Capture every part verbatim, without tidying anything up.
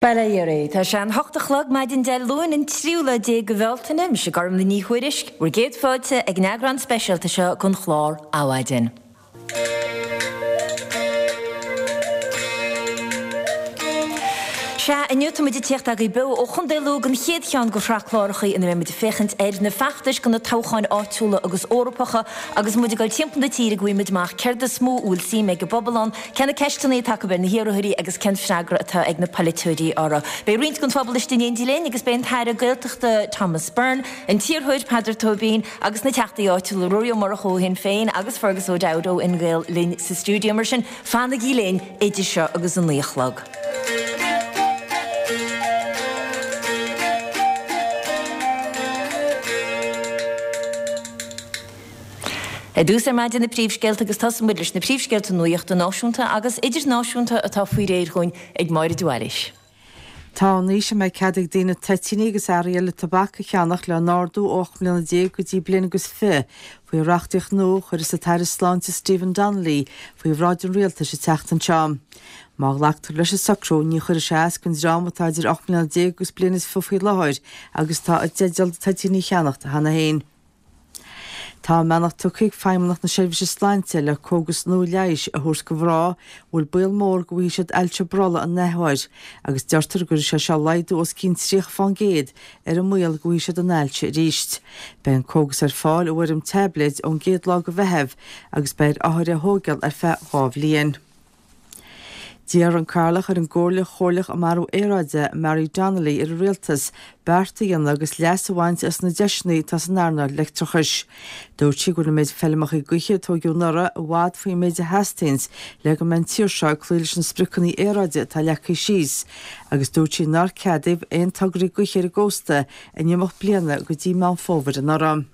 Bail ó Dhia oraibh. Tá sé an hocht a chlog maidin Dé Luain an tríú lá déag de Bhealtaine, mise Gormlaith Ní Thuairisg, bhur gcéad fáilte ag an eagrán speisialta seo den chlár Adhmhaidin. Sea, inniu tá muid ag tíocht agaibh beo ó Chontae Lú don chéad cheann de shraith cláracha ina mbeidh muid ag féachaint ar na feachtais do na toghcháin áitiúla agus Eorpacha agus muid ag dul timpeall na tíre go bhfaighidh muid amach céard is mó a bhfuil suim ag an bpobal ann, cé na ceisteanna atá acu ar na hiarrthóirí agus cén freagra atá ag na polaiteoirí orthu. Beidh roinnt den phobal istigh in éindí linn agus beidh an tAire Gaeltachta Thomas Byrne, an t-iarrthóir Peadar Tóibín agus na teachtaí áitiúla Ruairí Ó Murchú ó Shinn Féin agus Fergus O'Dowd ó Fhine Gael linn sa stiúideo. Mar sin, fanaigí linn idir seo agus a naoi a chlog. Ar dtús ar maidin na príomhscéalta agus tosóidh muid leis na príomhscéalta nuachta náisiúnta agus idirnáisiúnta atá faoi réir dhúinn ag Máire de Bhailís. Tá an aois a mbeidh cead ag daoine toitíní agus earraí eile tobac a cheannach le n-ardú ó ocht mbliana déag go dtí bliain agus fiche faoi reachtaíocht nua a chuirfeas an tAire Sláinte Stephen Donnelly faoi bhráid an Rialtais an tseachtain seo. Má ghlactar leis an socrú, ní chuirfidh sé as don dream atá idir ocht mbliana déag agus bliain is fiche faoi láthair agus atá i dteideal toitíní a cheannacht cheana féin. Tá a mbeannacht tugtha ag Feidhmeannacht na Seirbhíse Sláinte le cógas nua leighis a thabhairt do mhná a bhfuil baol mór go bhfaighidh siad ailse brollaigh an athuair agus deirtear go gcuirfidh sé seo laghdú os cionn tríocha fán gcéad ar an mbaol go bhfaighidh siad an ailse arís. Beidh an cógas ar fáil i bhfoirm taibléid ón gcéad lá de Mheitheamh agus beidh ar othair é a thógáil ar feadh dhá bhliain. D'iarr an Cathaoirleach ar an gComhairle Chomhairleach um Athrú Aeráide, Mary Donnelly, ar an Rialtas beart a dhéanamh agus leas a bhaint as na deiseanna atá san earnáil leictreachais. Dúirt sí go bhfuil an méid feilmeacha gaoithe a tóigeadh anuraidh i bhfad faoin méid a theastaíonns le go mbeidh an tír seo ag cloí leis na spriocanna aeráide atá leagtha síos agus dúirt sí nár ceadaíodh aon tograí gaoithe ar an gcósta in imeacht bliana go dtí Meán Fómhair anuraidh.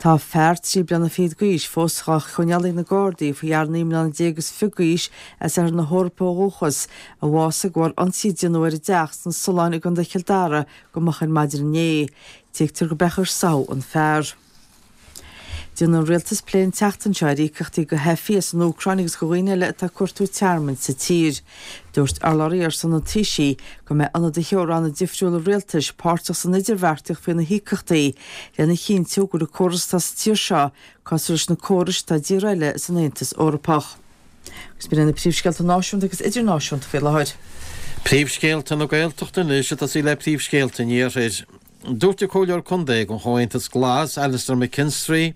Tá fear trí bliana fichead d'aois fós dhá choinneáil ag na Gardaí faoi fhear naoi mbliana déag is fiche d'aois as Oirthear na hEorpa ó dhúchas, a bhásaigh de bharr ionsaí a déanadh ar a dteach sna Solláin i gContae Chill Dara go moch ar maidin inné. Tuigtear go b'é a chuir soitheach an fear. Déanfaidh an Rialtas plé an tseachtain seo ar íocaíochtaí do theifigh as an Úcráin agus do dhaoine eile atá ag cuartú tearmainn sa tír. Dúirt urlabhraí ar son an Taoisigh go mbeidh ionadaithe ó ranna difriúla rialtais páirteach san idirbheartaíocht faoi na híocaíochtaí lena chinntiú go bhfuil an córas atá sa tír seo cosúil leis na córais atá i dtíortha eile san Aontas Eorpach. Agus b'in iad na príomhscéalta náisiúnta agus idirnáisiúnta faoi láthair. Príomhscéalta na Gaeltachta anois ag tosaí le príomhscéalta an Iarthair. Dúirt an Comhairleoir Contae don Chomhaontas Glas, Alastair McKinstry,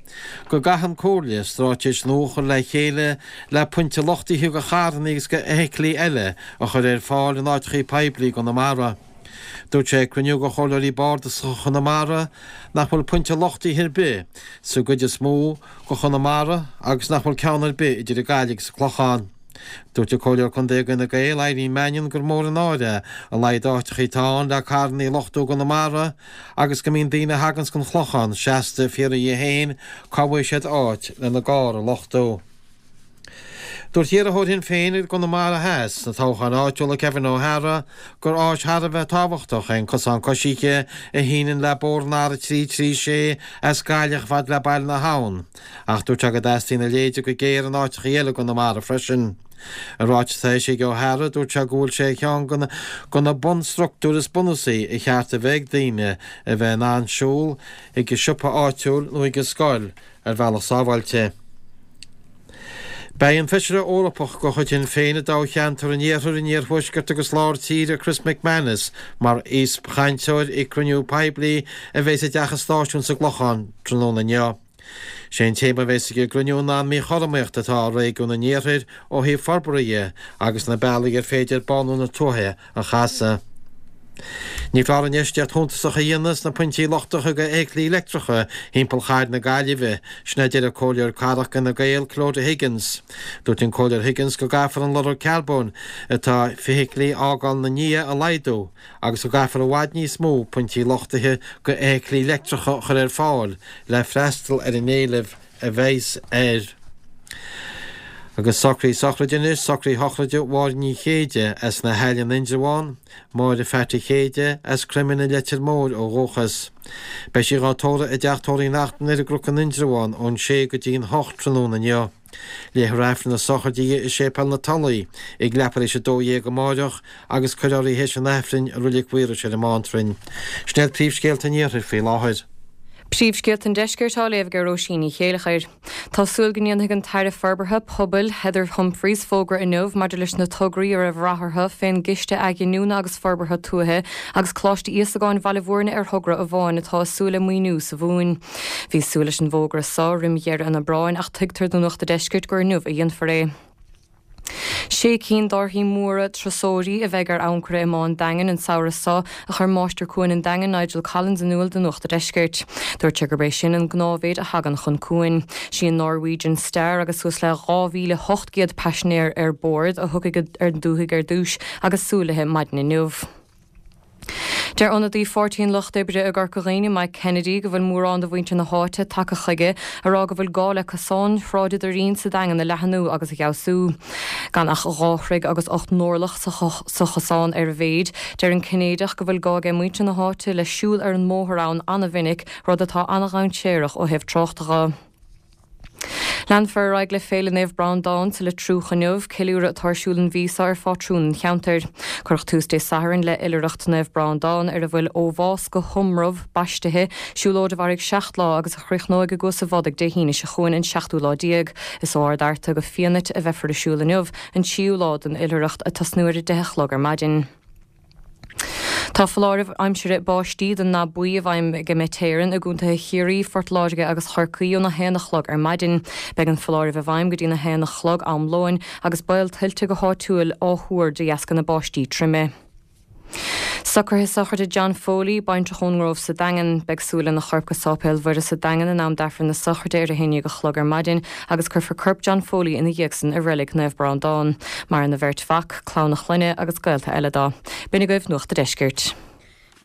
go gcaithfidh an Comhairle straitéis nua a chur le chéile le pointe luchtaithe do charranna agus do fheithiclí eile a chur ar fáil in áiteachaí poiblí i gConamara. Dúirt sé ag cruinniú de Chomhairleoirí Bardasacha Chonamara nach bhfuil pointe luchtaithe ar bith sa gcuid is mó de Chonamara agus nach bhfuil ceann ar bith idir an Ghaillimh agus an Clochán. Dúirt an Comhairleoir Contae ag Fhine Gael, Irene Mannion, gur mór an náire é a laghad áiteachaí atá ann le carrannaí a luchtú i gConamara agus go mbíonn daoine a thaganns gon Chlochán seasta ag fiafraí dhíobh féin cá bhfaighidh siad áit lena gcarr a luchtú. Dúirt iarrthóir Shinn Féin i gConamara Theas sna toghcháin áitiúla Kevin O'Hara gur áis thar a bheith tábhachtach é an cosán coisithe a shíneann le bóthar an R a trí trí sé as Gaillimh chomh fada le Baile na hAbhann. Ach dúirt sé go dteastaíonn a leithéide go géar in áiteachaí eile i gConamara freisin. I ráiteas atá eisithe ag O'Hara, dúirt sé go bhfuil sé ar cheann de na bunstruchtúir is bunúsaí a cheart a bheith ag daoine a bheith in ann siúl chuig an siopa áitiúil nó chuig an scoil ar bhealach sábháilte. Beidh an Feisire Eorpach de chuid Shinn Féin i dtoghcheantar an Iarthair, an Iarthuaiscirt agus Lár Tíre, Chris McManus, mar aoichainteoir ag cruinniú poiblí a bheas i dTeach an Stáisiúin sa gClochán tráthnóna inniu. Sé an téama a bheas ag an gcruinniú ná an míchothromaíocht atá i réigiún an Iarthair ó thaobh forbartha dhe agus na bealaí ar féidir bánú na tuaithe a chasadh. Ní foláir infheistíocht shuntasach a dhéanamh sna pointí luchtaithe do fheithiclí leictreacha thimpeall chathair na Gaillimhe, sin a deir an Comhairleoir Cathrach d'Fhine Gael, Clodagh Higgins. Dúirt an Comhairleoir Higgins go gcaithfear an lorg carbóin atá feithiclí a fhágáil ina ndiaidh a laghdú agus go gcaithfear i bhfad níos mó pointí luchtaithe do fheithiclí leictreacha a chur ar fáil le freastal ar an éileamh a bheas air. Agus socraí sochraide anois, socraí shochraide Mháire Ní Chéide as na hAille in Indreabhán, Máire Pheaití Chéide as Croimín an Leitir Móir ó dhúchas. Beidh sí dhá tórramh i dTeach Tórraimh Uí Neachtain ar an gCnoc in Indreabhán ón sé go dtí an hocht tráthnóna inniu. Léifear Aifreann na sochraide di i Séipéal na Tulaí ag leathuair tar éis a dó dhéag amáireach agus cuirfear í théis an Aifrinn i Reilig Mhaorais ar an mBántrainn. Sin iad príomhscéalta an Iarthair faoi láthair. Príomhscéalta an Deiscirt á léamh ag Róisín Ní Chéilleachair. Tá súil go ndéanfaidh an tAire Forbartha Pobail Heather Humphreys fógra inniu maidir leis na tograí a raibh rath orthu fén gCiste Athghiniúna agus Forbartha Tuaithe agus Coláiste Íosagáin Bhaile Bhúirne ar thogra amháin atá ag súil le maoiniú sa Mhumhain. Bhí súil leis an bhfógra seo roim dheireadh an Aibreáin ach tuigtear do Nuacht an Deiscirt gur inniu a dhéanfar é. Sé cinn d'árthaí móra turasóirí a bheidh ar ancaire i mBá an Daingin an samhradh seo, a chuir Máistir Cuain an Daingin Nigel Collins in iúl do Nuacht an Deiscirt. Dúirt sé gurb é sin an gnáthmhéid a thagann chun cuain. Sí an Norwegian Star agus suas le dhá mhíle ocht gcéad paisinéir ar bord a thiocfaidh ar an dúthaigh ar dtús agus súil léi maidin inniu. Deir ionadaí Pháirtí an Lucht Oibre i gCorca Dhuibhne, Mike Kennedy, go bhfuil mórán de mhuintir na háite tagtha chuige a rá go bhfuil gá le cosán Shráid an Doirín sa Daingean a leathnú agus a fheabhsú. Gan ach dhá throigh agus ocht n-orlach sa chosán ar a mhéid, deir an Cinnéideach go bhfuil gá ag muintir na háite le siúl ar an mbóthar ann an-mhinic, rud atá an-dhainséarach ó thaobh tráchta dhe. Leanfar ar aghaidh le Féile Naomh Breandán sa Leitriúch inniu, ceiliúradh atá ar siúl an mhí seo ar phátrún an cheantair. Cuireadh tús Dé Sathairn le Oilithreacht Naomh Breandán ar a bhfuil Ó Bhás go hIomramh baistithe, siúlóid a mhairfidh seacht lá agus a chríochnóidh i gCuas an Bhodaigh Dé hAoine seo chugainn an seachtú lá déag. Is ó Ard Fhearta go Fianait a bheifear ag siúl inniu, an tríú lá den oilithreacht, ag tosnú ar a deich a chlog ar maidin. Tá foláireamh aimsire báistí den ndath buí i bhfeidhm ag Met Éireann i gcontaetha Chiarraí, Phort Láirge agus Chorcaí óna haon a chlog ar maidin. Beidh an foláireamh i bhfeidhm go dtína haon a chlog am lóin agus baol tuilte go háitiúil á thuar de dheasca na báistí troime. Socruithe sochraide John Foley, baintreach ón nGrove sa Daingean. Beidh súil lena chorp go Sáipéal Mhuire sa Daingean in am d'Aifreann na sochraide ar a haon déag a chlog ar maidin agus cuirfear corp John Foley ina dhiaidh san i reilig Naomh Breandán. Maireann a bheirt mhac, clann a chlainne agus gaolta eile dó. B'in agaibh Nuacht a' Deiscirt.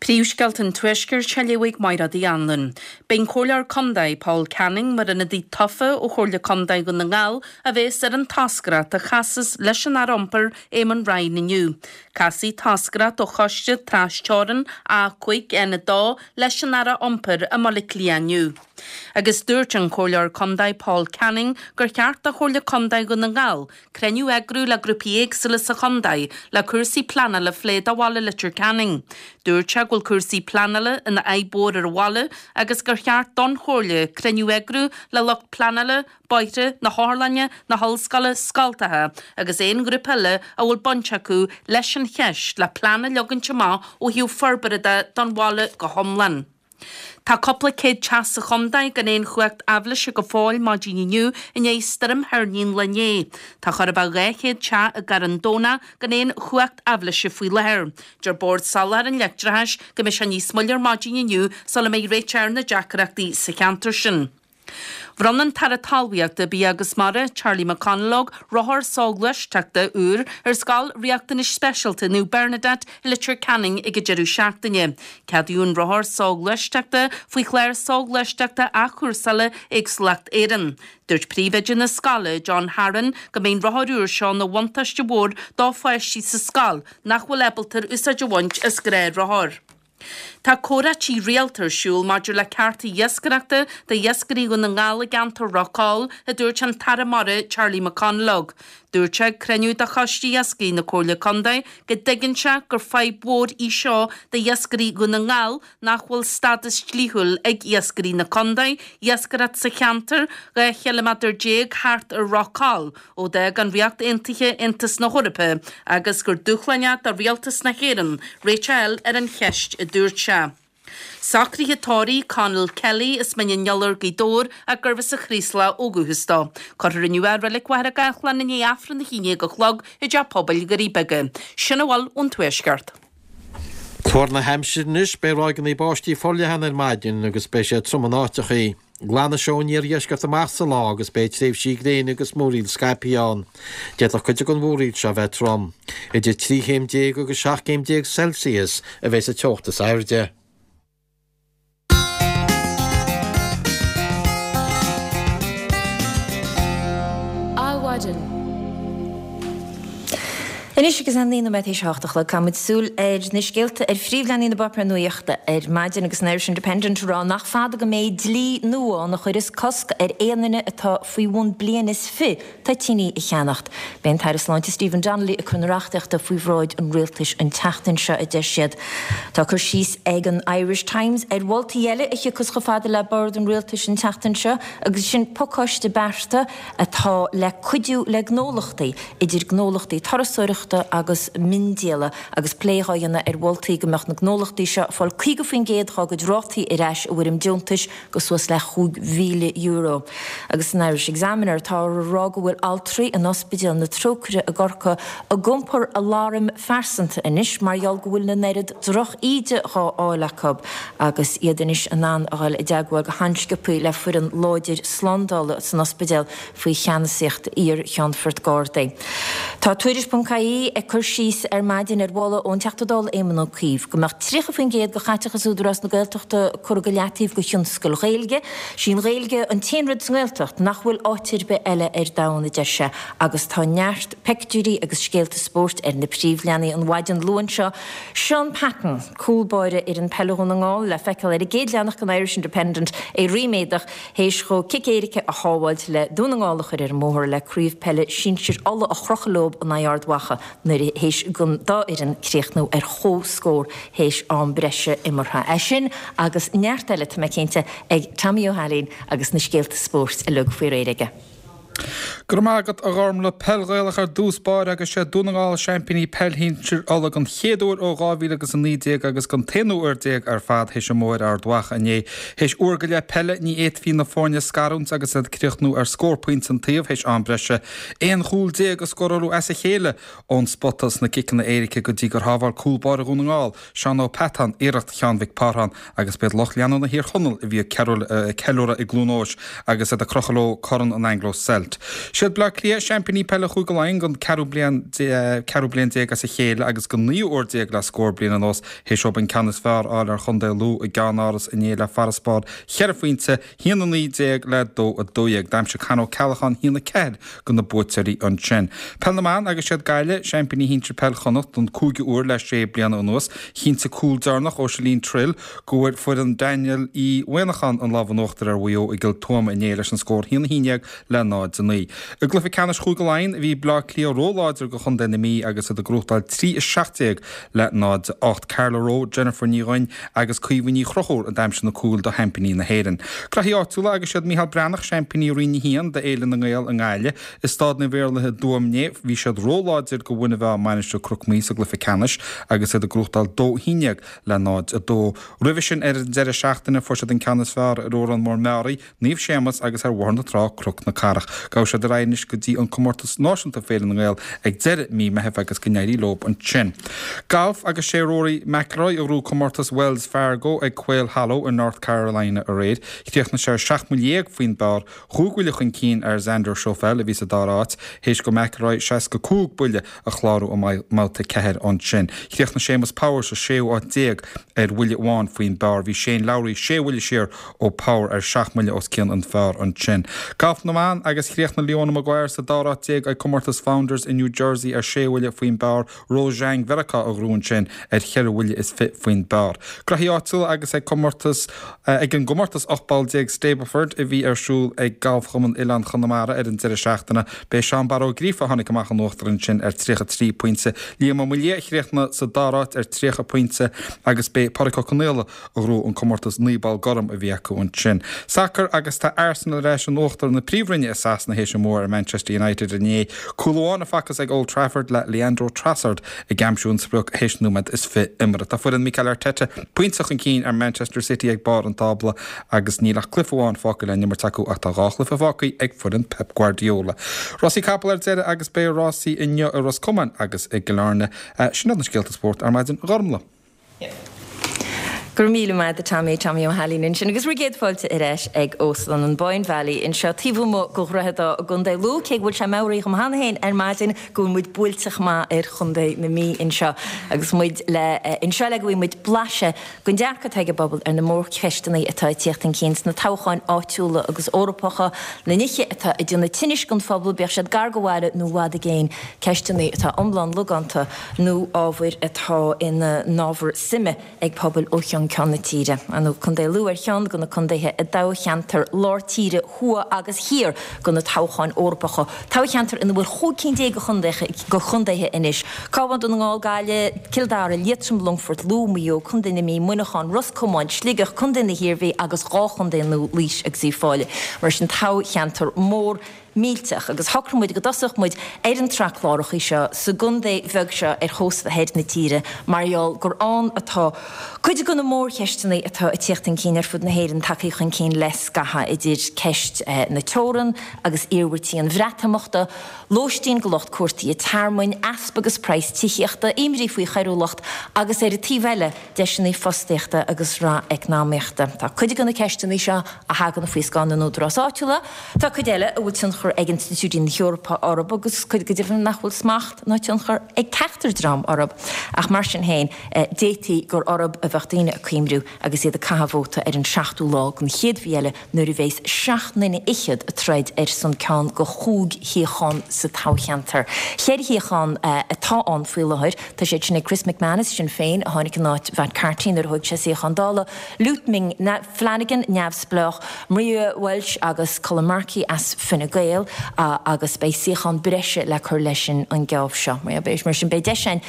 Príomhscéalta an Tuaiscirt á léamh ag Mairéad Uí Anluain. Beidh an Comhairleoir Contae, Paul Canning, mar ionadaí tofa ó Chomhairle Contae Dhún na nGall a bhéas ar an toscaireacht a chasas leis an Aire Iompair, Eamon Ryan inniu. Casfaidh toscaireacht ó Choiste Tras-Teorann A cúig N a dó leis an Aire Iompair i mBaile Átha Cliath inniu. Agus dúirt an Comhairleoir Contae Paul Canning gur cheart do Chomhairle Contae Dhún na nGall cruinniú a eagrú le grúpaí éagsúla sa chontae le cúrsaí pleanála a phlé do bhaile Leitir Ceanainn. Dúirt sé go bhfuil cúrsaí pleanála ina fhadhb mhór ar an bhaile agus gur cheart don Chomhairle cruinniú a eagrú le lucht pleanála, bóithre, na hotharlainne, na hollscoile, scoltacha agus aon ghrúpa eile a bhfuil baint acu leis an cheist le plean a leagaint amach ó thaobh forbartha de don bhaile go hiomlán. Tá cúpla céad teach sa chontae gan aon chumhacht aibhléise go fóill maidin inniu i ndiaidh stoirm thoirní an lae inné. Tá chóir a bheith dhá chéad teach i gCarn Domhnach gan aon chumhacht aibhléise faoi láthair. Deir Bord Soláthair an Leictreachais go mbeidh sé níos moille ar maidin inniu sula mbeidh réiteach ar na deacrachtaí sa cheantar sin. Bhronn an tAire Talmhaíochta, Bia agus Mara, Charlie McConalogue, rothar soghluaisteachta úr ar Scoil Riachtanais Speisialta Naomh Bernadette i Leitir Ceanainn ag an deireadh seachtaine. Ceadaíodh an rothar soghluaisteachta faoi chlár soghluaisteachta athchúrsála Éagsúlacht Éireann. Dúirt príomhoide na scoile, John Harron, go mbeidh an rothar úr seo ina bhuntáiste mhór do pháistí sa scoil nach bhfuil ábalta úsáid a bhaint as gnáthrothar. Tá comhráití rialta ar siúl maidir le cearta iascaireachta d'iascairí Dhún na nGall i gceantar Ráth Cóil, a dúirt an tAire Mara Charlie McConalogue. Dúirt sé ag cruinniú de Choiste Iascaigh na Comhairle Contae go dtuigeann sé gur fadhb mhór í seo d'iascairí Dhún na nGall nach bhfuil stádas dlíthiúil ag iascairí na contae iascaireacht sa cheantar dhá chiliméadar déag thart ar Ráth Cóil ó d'fhág an Ríocht Aontaithe Aontas na hEorpa agus gur dúshlán é do Rialtas na hÉireann réiteach a fháil ar an cheist, a dúirt sé. Socruithe tórraimh Conall Kelly as Mín an Iolair, Gaoth Dobhair, ach gurbh as an Chraoslach ó dhúchas dó. Cuirfear inniu é i Reilig Mhachaire Gathlán i ndiaidh Aifreann a haon déag a chlog i dTeach Pobail Dhoirí Beaga. Sin a bhfuil ón Tuaisceart. Tuar na haimsire anois, beidh ráigeanna báistí forleathan ar maidin agus beidh sé trom in áiteachaí. Glanfaidh sé ón iardheisceart amach sa lá agus beidh tréimhsí gréine agus múraíl scaipthe ann. D'fhéadfadh cuid den mhúraíl seo a bheith trom. Idir trí chéim déag agus seacht gcéim déag Celsius a bheidh sa teocht is airde. Anois Anois agus é naoi nóiméad théis a hocht a chlog, caithfimid súil ar na scéalta ar phríomhleathanaigh na bpáipéar nuachta ar maidin agus an Irish Independent ag rá nach fada go mbeidh dlí nua ann a chuireas cosc ar aon duine atá faoi bhun bliain is fiche toitíní a cheannacht. Beidh an tAire Sláinte Stephen Donnelly ag cur na reachtaíochta faoi bhráid an rialtais an tseachtain seo, a deir siad. Tá cur síos ag an Irish Times ar mholtaí eile a thiocfas chomh fada le bord an rialtais an tseachtain seo agus sin pacáiste bearta atá le cuidiú le gnólachtaí, idir gnólachtaí turasóireachta agus miondíola, agus plé dhá dhéanamh ar mholtaí go mbeadh na gnólachtaí seo ag fáil caoga faoin gcéad dhá gcuid rátaí ar ais i bhfoirm deontais go suas le chúig mhíle euro. Agus san Irish Examiner táthar a rá go bhfuil altraí in Ospidéal na Trócaire i gCorcaigh ag iompar aláraim phearsanta anois mar gheall go bhfuil an oiread droch-íde dhá fháil acu agus iad anois in ann a dhul i dteagmháil go han-sciobtha le foireann láidir slándála san ospidéal faoi cheannasaíocht iar-Cheannfort Gardaí. Tá Tuairisc ponc ie ag cur síos ar maidin ar mholadh ón Teachta Dála Éamon Ó Cuív go mbeadh tríocha faoin gcéad de chaiteachas Údarás na Gaeltachta curtha go leataobh do thionscail Ghaeilge. Sí an Ghaeilge an t-aon rud sa nGaeltacht nach bhfuil áit ar bith eile ar domhan, a deir sé, agus tá neart peictiúirí agus scéalta spóirt ar na príomhleathanaigh an mhaidin Luain seo. Seán Patton, cúl báire fhoireann peile Dhún na nGall, le feiceáil ar an gcéad leathanach den Irish Independent, é ríméadach théis dhó cic éirice a shábháilt le Dún na nGall a chur ar an mbóthar le Craobh Peile Sinsir Uladh a chrochadh leo in aghaidh Ard Mhacha nuair a théis don dá fhoireann críochnú ar chomhscór théis am breise imeartha. É sin agus neart eile, tá mé cinnte, ag Tommy Ó hAilín agus na scéalta spóirt uilig faoi réir aige. Go raibh maith agat a Ghormlaith. Peil Ghaelach ar dtús báire agus sé Dún na nGall seaimpíní peil shinsir Uladh don chéad uair ó dhá mhíle agus a naoi déag agus don t-aonú uair déag ar fad théis a mbua ar Ard Mhacha inné. Théis uair go leith peile ní fhéadfaí na foirne a scarúint agus iad ag críochnú ar scór pointe an taobh théis am breise. Aon chúl déag a scóráladh as a chéile ón spota sna ciceanna éirice go dtí gur shábháil cúl báire Dhún na nGall, Seán Ó Peatáin, iarracht Sheáin Mhic Pártháin agus b'iad lucht leanúna Thír Chonaill a bhí ag ceiliúradh i gCluain Eois agus iad ag crochadh leo Corn an Anglo Celt. Siad Bleá Cliath seaimpíní peile Chúige Laighean don ceathrú bliain ceathrú bliain déag as a chéile agus don naoú uair déag le scór bliain anuas théis dóibh an ceann is fearr a fháil ar Chontae Lú i gceannáras inné le farasbarr cheithre phointe, haon a naoi déag le dó a dó dhéag. D'aimsigh Con Ó Ceallacháin haon a ceathair do na buaiteoirí ansin. Peil na mBan agus siad Gaillimh seaimpíní shinsir peil Chonnacht don cúigiú uair le sé bliana anuas. Chinntigh cúl deireanach ó Celine Trill go bhfuair foireann Daniel Uí Mhuineacháin an lámh in uachtar ar Mhaigh Eo i gCill Tuama inné leis an scór haon a haon déag le náid a naoi. I gcluiche ceannais Chúige Laighean bhí Bleá Cliath róláidir do chontae na Mí agus iad ag gnóthachtáil trí a seacht déag le náid a ocht. Carla Rowe, Jennifer Ní Dhuinn agus Caoimhe Ní Chonchúir a d'aimsigh na cúil do sheaimpíní na hÉireann. Graithí áitiúla agus siad Micheál Breathnach seaimpíní Roinn a haon d'Fhéile na nGael i nGaillimh. I Staid Naomh Iarlaith i dTuaim inné bhí siad róláidir do Mhuine Mheá Mainistir Cnoc Muaidhe sa gcluiche ceannais agus iad ag gnóthachtáil dó a haon déag le náid a dó. Roimhe sin ar an deireadh seachtaine fuair siad an ceann is fearr ar Órán Mór Meáraí, Naomh Séamas agus ar Bhóthar na Trá, Cnoc na Cathrach. Gabhfaidh siad ar aghaidh anois go dtí an comórtas náisiúnta Féile na nGael ag deireadh mí Meithimh agus go n-éirí leo ansin. Galf agus sé Rory McIlroy a ghnóthaigh comórtas Wells Fargo ag Quail Hollow i North Carolina aréir. Chríochnaigh sé ar seacht mbuille dhéag faoin bpar, chúig bhuille chun cinn ar Xander Schauffele a bhí sa dara háit, théis do McIlroy seasca cúig buille a chlárú i mbabhta ceathair ansin. Chríochnaigh Séamus Power sa séú háit déag ar bhuille amháin faoin bpar. Bhí Shane Lowry sé bhuille siar ó Power ar seacht mbuille os cionn an phar ansin. Galf na mban agus chríochnaigh Leona Maguire sa dara háit déag ag comórtas Founders i New Jersey ar sé bhuille faoin bpar. Rose Zhang Mheiriceá a ghnóthaigh ansin ar cheithre bhuille is fiche faoin bpar. Graithí áitiúla agus ag comórtas ag an gcomórtas ocht bpoll déag Stableford a bhí ar siúl ag Galfchumann Oileán Chonamara ar an deireadh seachtaine. B'é Seán Barra Ó Gríofa a tháinig amach in uachtar ansin ar tríocha trí pointe. Liam Ó Maoildhia a chríochnaigh sa dara háit ar tríocha pointe agus b'é Pádraig Ó Conaola a ghnóthaigh an comórtas naoi bpoll gorm a bhí acu ansin. Sacar agus tá Arsenal ar ais in uachtar na Príomhroinne i Sasana théis a mbua ar Manchester United inné. Cúl amháin a facthas ag Old Trafford le Leandro Trossard ag aimsiú an sprioc théis nóiméad is fiche imeartha. Tá foireann Mikel Arteta pointe chun cinn ar Manchester City ag barr an tábla agus níl ach cluiche amháin fágtha le n-imirt acu ach tá dhá chluiche fágtha ag foireann Pep Guardiola. Rásaí capall ar deireadh agus beidh rásaí inniu i Ros Comáin agus i gCill Airne. Sin iad na scéalta spóirt ar maidin, a Ghormlaith. Go raibh míle maith agat Tommy Tommy Ó hAilín ansin agus bhur gcéad fáilte ar ais ag Óstlann an Boyne Valley anseo taobh amuigh de Dhroichead Átha i gContae Lú cé go bhfuil sé meabhraithe dhom cheana féin ar maidin go bhfuil muid buailte chomh maith ar Chontae na Mí anseo agus muid le anseo le go bhfaighidh muid blaiseadh den dearcadh atá ag an bpobal ar na mórcheisteanna atá ag tíocht chun cinn sna toghcháin áitiúla agus Eorpacha, na nithe atá ag déanamh tinnis don phobal, bíodh siad gar do bhaile nó i bhfad i gcéin, ceisteanna atá iomlán logánta nó ábhair atá ina n-ábhar suime ag pobail ó cheann ceann na tíre. Nó Contae Lú ar cheann de na contaetha i dtoghcheantar lár tíre thuaidh agus thiar do na toghcháin Eorpacha, toghcheantar ina bhfuil chúig cinn déag de chontaetha anois, Cabhán, Dún na nGall, Gaillimh, Cill Dara, Liatroim, Longfort, Lú, Maigh Eo, Contae na Mí, Muineachán, Ros Comáin, Sligeach, Contae na hIarmhí agus dhá chontae nua, Laois agus Uíbh Fhailí. Mar sin toghcheantar mór millteach agus shocraigh muid go dtosódh muid ar an tsraith clárachaí seo sa gcontae bheag seo ar chósta thoir na tíre mar gheall gur ann atá cuid de na mórcheisteanna atá ag tíocht chun cinn ar fud na hÉireann tagtha chun cinn le scaitheamh, idir ceist na teorann agus iarmhairtí an Bhreatimeachta, lóistín do lucht cuartaithe tearmainn, easpa agus praghas tithíochta, imní faoi choiriúlacht agus ar an taobh eile, deiseanna fostaíochta agus rath eacnamaíochta. Tá cuid de na ceisteanna seo a thagann faoi scáth na n-údarás áitiúla, tá cuid eile a bhfuil tionchar ag institiúidí na hEorpa orthu agus cuid go deimhin nach bhfuil smacht ná tionchar ag ceachtar dream orthu. Ach mar sin féin, d'fhéadfaí gur orthu a bheadh daoine ag cuimriú agus iad ag caitheamh vóta ar an seachtú lá den chéad mhí eile nuair a bheas seacht nduine fhichead ag troid ar son ceann de chúig shuíochán sa toghcheantar. Ceithre shuíochán atá ann faoi láthair. Tá siad sin ag Chris McManus, Sinn Féin, a tháinig in áit Mhatt Carthy nuair a thóg sé suíochán Dála, Lute Ming Flanagan, Neamhspleách, Maria Walsh agus Colm Markey as Fine Gael agus beidh suíochán breise le cur leis sin an geábh seo. Mar sin beidh deis againn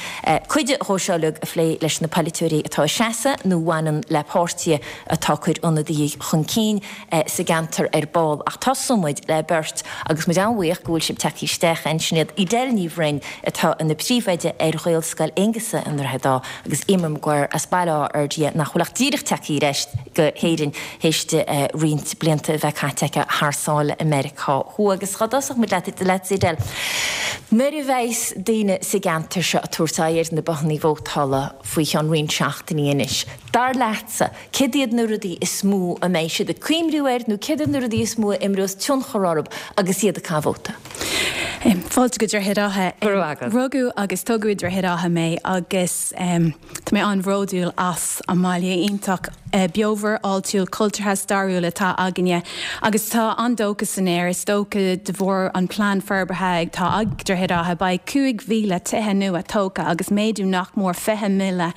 cuid dhó seo uilig a phlé leis na polaiteoirí atá ag seasamh nó a bhaineann le páirtithe atá ag cur ionadaithe chun cinn sa gceantar ar ball. Ach tosóidh muid le beirt agus muid an-bhuíoch go bhfuil sibh tagtha isteach ansin. Sin iad Edel Ní Bhroin atá ina príomhoide ar Ghaelscoil Aonghusa i nDroichead Átha agus Eimear Maguire as Baile Átha Fhirdhia nach bhfuil ach díreach tagtha ar ais go hÉirinn théis di roinnt blianta a bheith caite aici thar sáile i Meiriceá Thuaidh. Agus dhá dtosódh muid leat, leatsa Edel, nuair a bheas daoine sa gceantar seo ag tabhairt aghaidh ar na bothannaí vótála faoi cheann roinnt seachtainí anois, dar leatsa, céard iad na rudaí is mó a mbeidh siad ag cuimriú air nó céard iad na rudaí is mó a imreos tionchar orthu agus iad ag caitheamh vóta? Fáilte go Droichead Átha. Go raibh agat. Rugadh agus tógadh i Droichead Átha mé agus tá mé an-bhródúil as an mbaile iontach beomhar, áitiúil, cultúrtha, stairiúil atá againne agus tá an-dóchas san aer is dócha de bharr an plean forbartha atá ag Droichead Átha. Beidh cúig mhíle tithe nua tógtha agus méadú nach mór fiche míle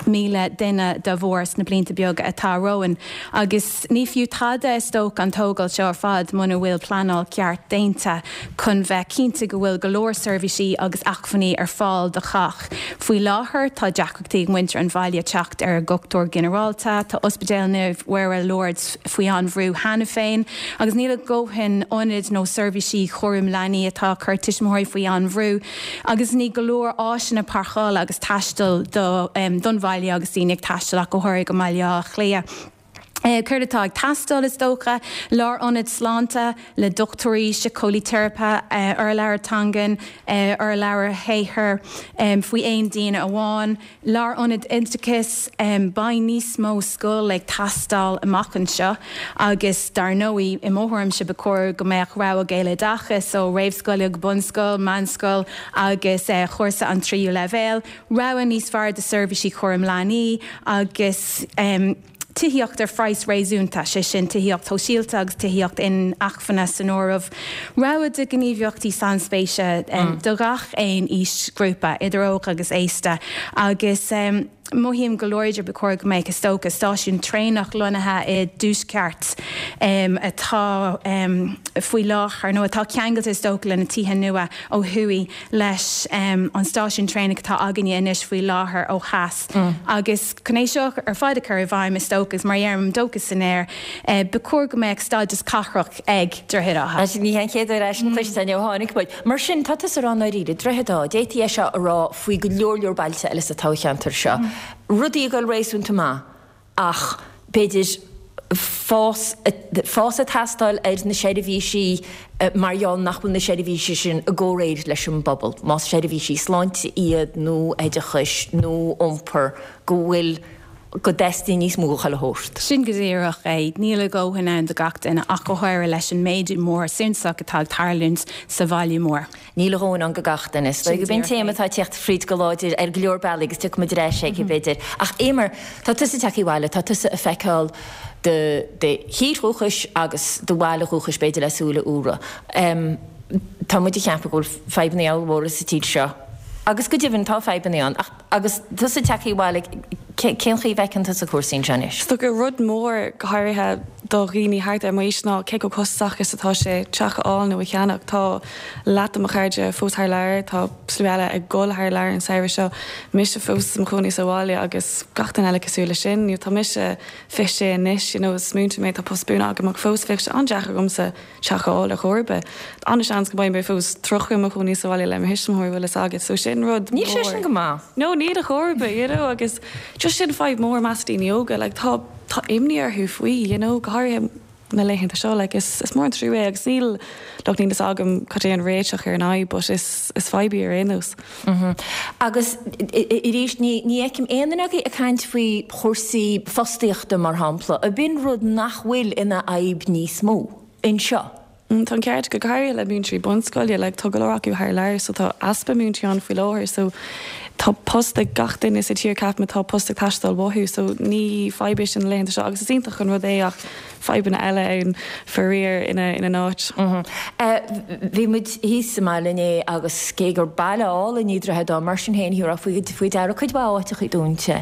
míle duine dá bharr sna blianta beaga atá romhainn agus ní fiú tada is dócha an tógáil seo ar fad muna bhfuil pleanáil ceart déanta chun bheith cinnte go bhfuil go leor seirbhísí agus acmhainní ar fáil do chách. Faoi láthair tá deacrachtaí ag muintir an bhaile teacht ar dhochtúir ginearálta, tá Ospidéal Naomh Mhuire Lourdes faoi an-bhrú cheana féin agus níl a dhóthain ionaid nó seirbhísí chúram leanaí atá ag cur tuismitheoirí faoi an-bhrú agus ní go leor áiseanna páirceála agus taistil don bhaile agus daoine ag taisteal ach go háirithe go mBaile Átha Cliath. Céard atá ag teastáil, is dócha? Lárionad sláinte le dochtúirí, síceolaí teiripe, urlabhra teangan, urlabhra shaothair faoi aon duine amháin, lárionad oideachais, beidh níos mó scol ag teastáil amach anseo agus dar ndóigh, i mo thuairimse, ba chóir go mbeadh rogha Gaeloideachais ó réamhscoile go bunscoil, meánscoil agus chúrsa an tríú leibhéal, rogha níos fearr de seirbhísí cúram leanaí agus. Tithíocht ar phraghas réasúnta, sé sin tithíocht shóisialta agus tithíocht inacmhainne san áireamh. Rogha de ghníomhaíochtaí sainspéise do gach aon aoisghrúpa, idir óg agus aosta, agus mothaím go láidir ba chóir go mbeadh, is dócha, stáisiún traenach lonnaithe i dtuaisceart atá faoi láthair, nó atá ceangailte is dócha le na tithe nua ó thuaidh leis an stáisiún traenach atá againne anois faoi láthair ó theas. Agus chun é seo ar fad a chur i bhfeidhm, is dócha, is mar a deirim, dóchas san aer, ba chóir go mbeadh stádas cathrach ag Droichead Átha. Sea, ní hé an chéad uair é sin cloiste againn ó tháinig muid. Mar sin, tá tusa ag rá i ndáiríre, Droichead Átha, d'fhéadfaí é seo a rá faoi go leor leor bailte eile sa toghcheantar seo. Rudaí ag dul réasúnta maith ach b'fhéidir fás fás ag teastáil ar na seirbhísí mar gheall nach bhfuil na seirbhísí sin i gcomhréir leis an bpobal, más seirbhísí sláinte iad nó oideachais nó iompair, go bhfuil go dteastaíonn níos mó de chuile shórt. Sin go díreach é, níl a dhóthain ann do gach duine ach go háirithe leis an méadú mór suntasach atá ag tarlúint sa bhaile mór. Níl a dhóthain ann do gach duine. Is dóigh gurb é an téama atá ag teacht fríd go láidir ar go leor bealaí agus tiocfaidh muid ar ais aige b'fhéidir. Ach Eimear, tá tusa tagtha abhaile, tá tusa ag feiceáil do do thír dhúchais agus do bhaile dhúchais b'fhéidir le súile úra. Tá muid ag ceapadh go bhfuil fadhbanna ollmhóra sa tír seo agus go deimhin tá fadhbanna ann ach agus tusa tagtha abhaile cén chaoi a bhfeiceann tusa cúrsaí anseo anois? Is dócha rud mór go háirithe do dhaoine thart ar m'aois ná cé chomh costasach is atá sé teach a fháil nó a cheannach. Tá leath de mo chairde fós thar lear, tá slua eile ag dul thar lear an samhradh seo, mise fós i mo chónaí sa bhaile agus gach duine eile cosúil leis sin. Tá mise fiche sé anois, you know, is múinteoir mé, tá post buan agam ach fós bheadh sé an-deacair agamsa teach a fháil ar chor ar bith. An-seans go mbeidh mé fós tríocha i mo chónaí sa bhaile le mo thuismitheoirí, bhfuil fhios agat, so sin rud Níl sé sin mór. go maith. No, níl ar chor ar bith, you know, agus just sin fadhb mór i measc daoine óga, like tá tá imní orthu faoi, you know, go háirithe na laethanta seo, like is is mór an trua é agus níl look níl fhios agam cad é an réiteach ar an fhadhb but is is fadhb í ar aon nós. Agus arís ní ní fheicim aon duine agaibh ag caint faoi chúrsaí fostaíochta mar shampla, ab in rud nach bhfuil ina fhadhb níos mó anseo. Tá an ceart agat, go háirithe le múinteoirí bunscoile, like tá go leor acu thar lear so tá easpa múinteoirí ann faoi láthair so tá post ag gach duine sa tír ceapaim atá post ag teastáil uathu so ní fadhb é sin na laethanta seo agus is iontach an rud é ach fadhbanna eile ann faraor ina ina n-áit. Bhí muid thíos sa mbaile inné agus cé gur baile álainn é Droichead Átha mar sin féin thiúrfá faoi faoi deara cuid mhaith áiteachaí dúnta.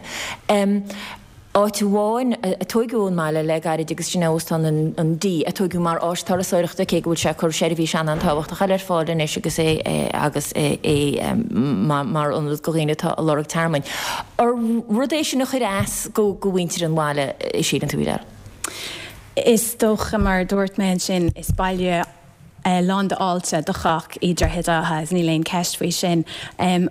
Áit amháin a tóigeadh ón mbaile le gairid agus sin é Óstán an D, a tóigeadh mar áis turasóireachta cé go bhfuil sé ag cur seirbhís an-an-tábhachtach eile ar fáil anois agus é agus é mar ionad do dhaoine atá ag lorg tearmainn. Ar rud é sin a chuir as go go mhuintir an bhaile, síleann tú, Edel? Is dócha, mar a dúirt mé ansin, is baile lán d'fháilte do chách í Droichead Átha, níl aon cheist faoi sin.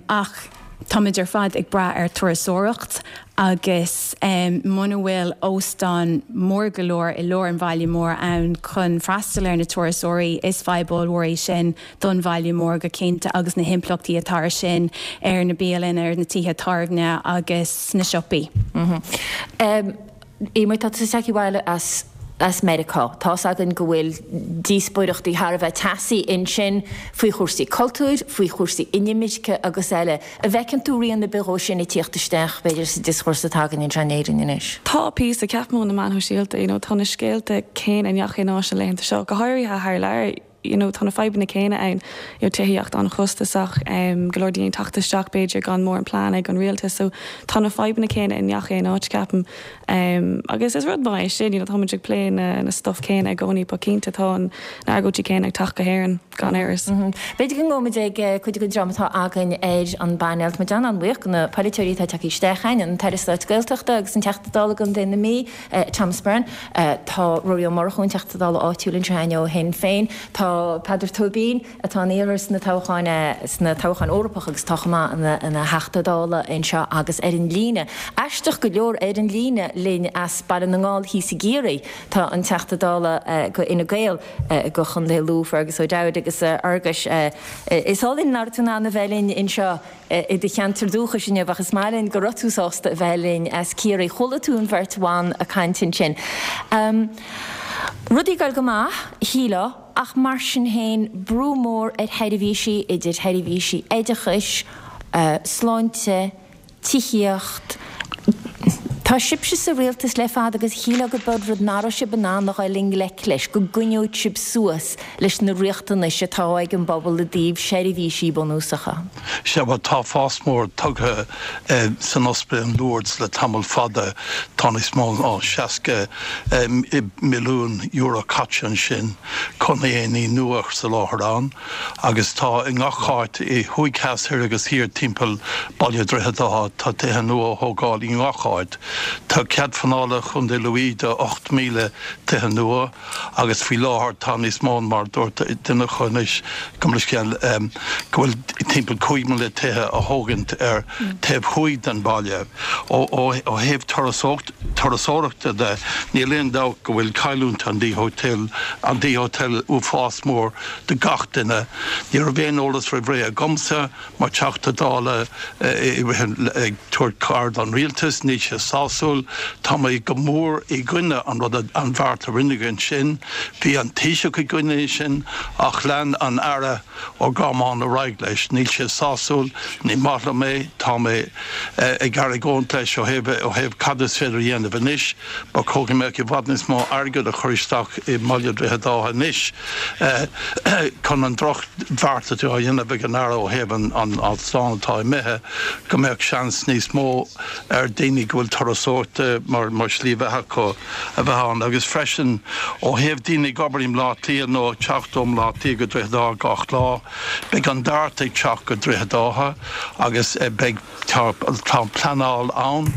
Ach táimid ar fad ag brath ar turasóireacht agus muna bhfuil óstán mór go leor i lár an bhaile mór ann chun freastal ar na turasóirí, is fadhb ollmhór é sin don bhaile mór go cinnte agus na himpleachtaí atá ar sin ar na bialanna, ar na tithe tábhairne agus na siopaí. Eimear, tá tusa tagtha abhaile as as Meiriceá. Tá's againn go bhfuil díospóireachtaí thar a bheith teasaí ansin faoi chúrsaí cultúir, faoi chúrsaí inimirce agus eile. An bhfeiceann tú rian ar bith dhó sin ag tíocht isteach, b'fhéidir, sa dioscúrsa atá againn anseo in Éirinn anois? Tá píosa, ceapaim ó na meáin shóisialta, you know, tá na scéalta céanna i ngach aon áit na laethanta seo, go háirithe thar lear. you know, tá na fadhbanna céanna ann, you know, tithíocht an-chostasach, um, go leor daoine ag teacht isteach b'fhéidir gan mórán plean ag an rialtas, so tá na fadhbanna céanna i ngach aon áit ceapaim. Um, agus is rud maith é sin, you know, táimid ag plé na, na stuff céanna i gcónaí, but cinnte tá an, na argóintí céanna ag teacht go hÉirinn gan amhras. Mm -hmm. B'fhéidir go ngabhfaimid ag eh, cuid den dream atá againn ar an bpainéal. Tá muid an-bhuíoch de na polaiteoirí atá tagtha isteach chugainn, an tAire Stáit Gaeltachta agus an Teachta Dála do Chontae na Mí, eh, Thomas Byrne. Eh, tá Ruairí Ó Murchú, an Teachta Dála áitiúil anseo ó Shinn Féin. Tá Peadar Tóibín atá ina iarrthóir sna toghcháin sna toghcháin Eorpach agus tá chomh maith ina ina Theachta Dála anseo agus ar an líne. Aisteach go leor ar an líne linn as Baile na nGall thíos i gCiarraí tá an Teachta Dála go Fhine Gael go Chontae Lú, Fergus O'Dowd agus a Fherguis. Is oth linn nach raibh tú in ann a bheith linn anseo i do cheantar dúchais inniu ach is maith linn go raibh tú sásta a bheith linn as Ciarraí. Chuala tú an bheirt bhan ag caint ansin. Rudaí ag dul go maith, shílfeá, ach mar sin féin, brú mór ar sheirbhísí, idir sheirbhísí oideachais, sláinte, tithíocht. Tá sibhse sa rialtas le fada agus shílfeá go b'eod rud nach raibh sibh in ann a dhul i ngleic leis, go gcoinneodh sibh suas leis na riachtanais atá ag an bpobal i dtaobh seirbhísí bunúsacha. Sea, bhuel, tá fás mór tugtha san ospidéal in Lourdes le tamall fada. Tá níos mó ná seasca milliún euro caite ansin chun aonaid nua a soláthar ann agus tá i ngach áit, i thuaidh, theas, thoir agus thiar timpeall baile Dhroichead Átha, tá tithe nua á thógáil i ngach áit. Tá cead pleanála Chontae Lú do ocht míle tithe nua agus faoi láthair tá níos mó, mar dúirt duine acu anois, go leithscéal, go bhfuil timpeall cúig míle tithe á thógaint ar taobh thuaidh den bhaile. Ó thaobh turasóireachta de, níl aon dabht go bhfuil cailliúint an D Hotel, an D Hotel uafás mór do gach duine. Ní raibh aon eolas roimh ré agamsa mar Teachta Dála i rith ag tabhairt cabhair don rialtas, níl sé sásúil. sásúil. Tá mé go mór i gcoinne an rud an bheart a rinneadh ansin. Bhí an Taoiseach i gcoinne sin ach lean an Aire Ó Gormáin ar aghaidh leis. Níl sé sásúil, ní maith liom é, tá mé ag argóint leis ó thaobh ó thaobh cad is féidir a dhéanamh anois. Ba chóir go mbeadh i bhfad níos mó airgead a chur isteach i mBaile Droichead Átha anois chun an drochbheart atá á dhéanamh ag an Aire ó thaobh an an óstán atá imithe, go mbeadh seans níos mó ar daoine go bhfuil turasóireacht mar mar shlí bheatha acu a bheith ann agus freisin ó thaobh daoine ag obair i mBleá Cliath nó ag teacht ó Bhleá Cliath go Droichead Átha gach lá. Beidh an Dart ag teacht go Droichead Átha agus beidh tá tá pleanáil ann,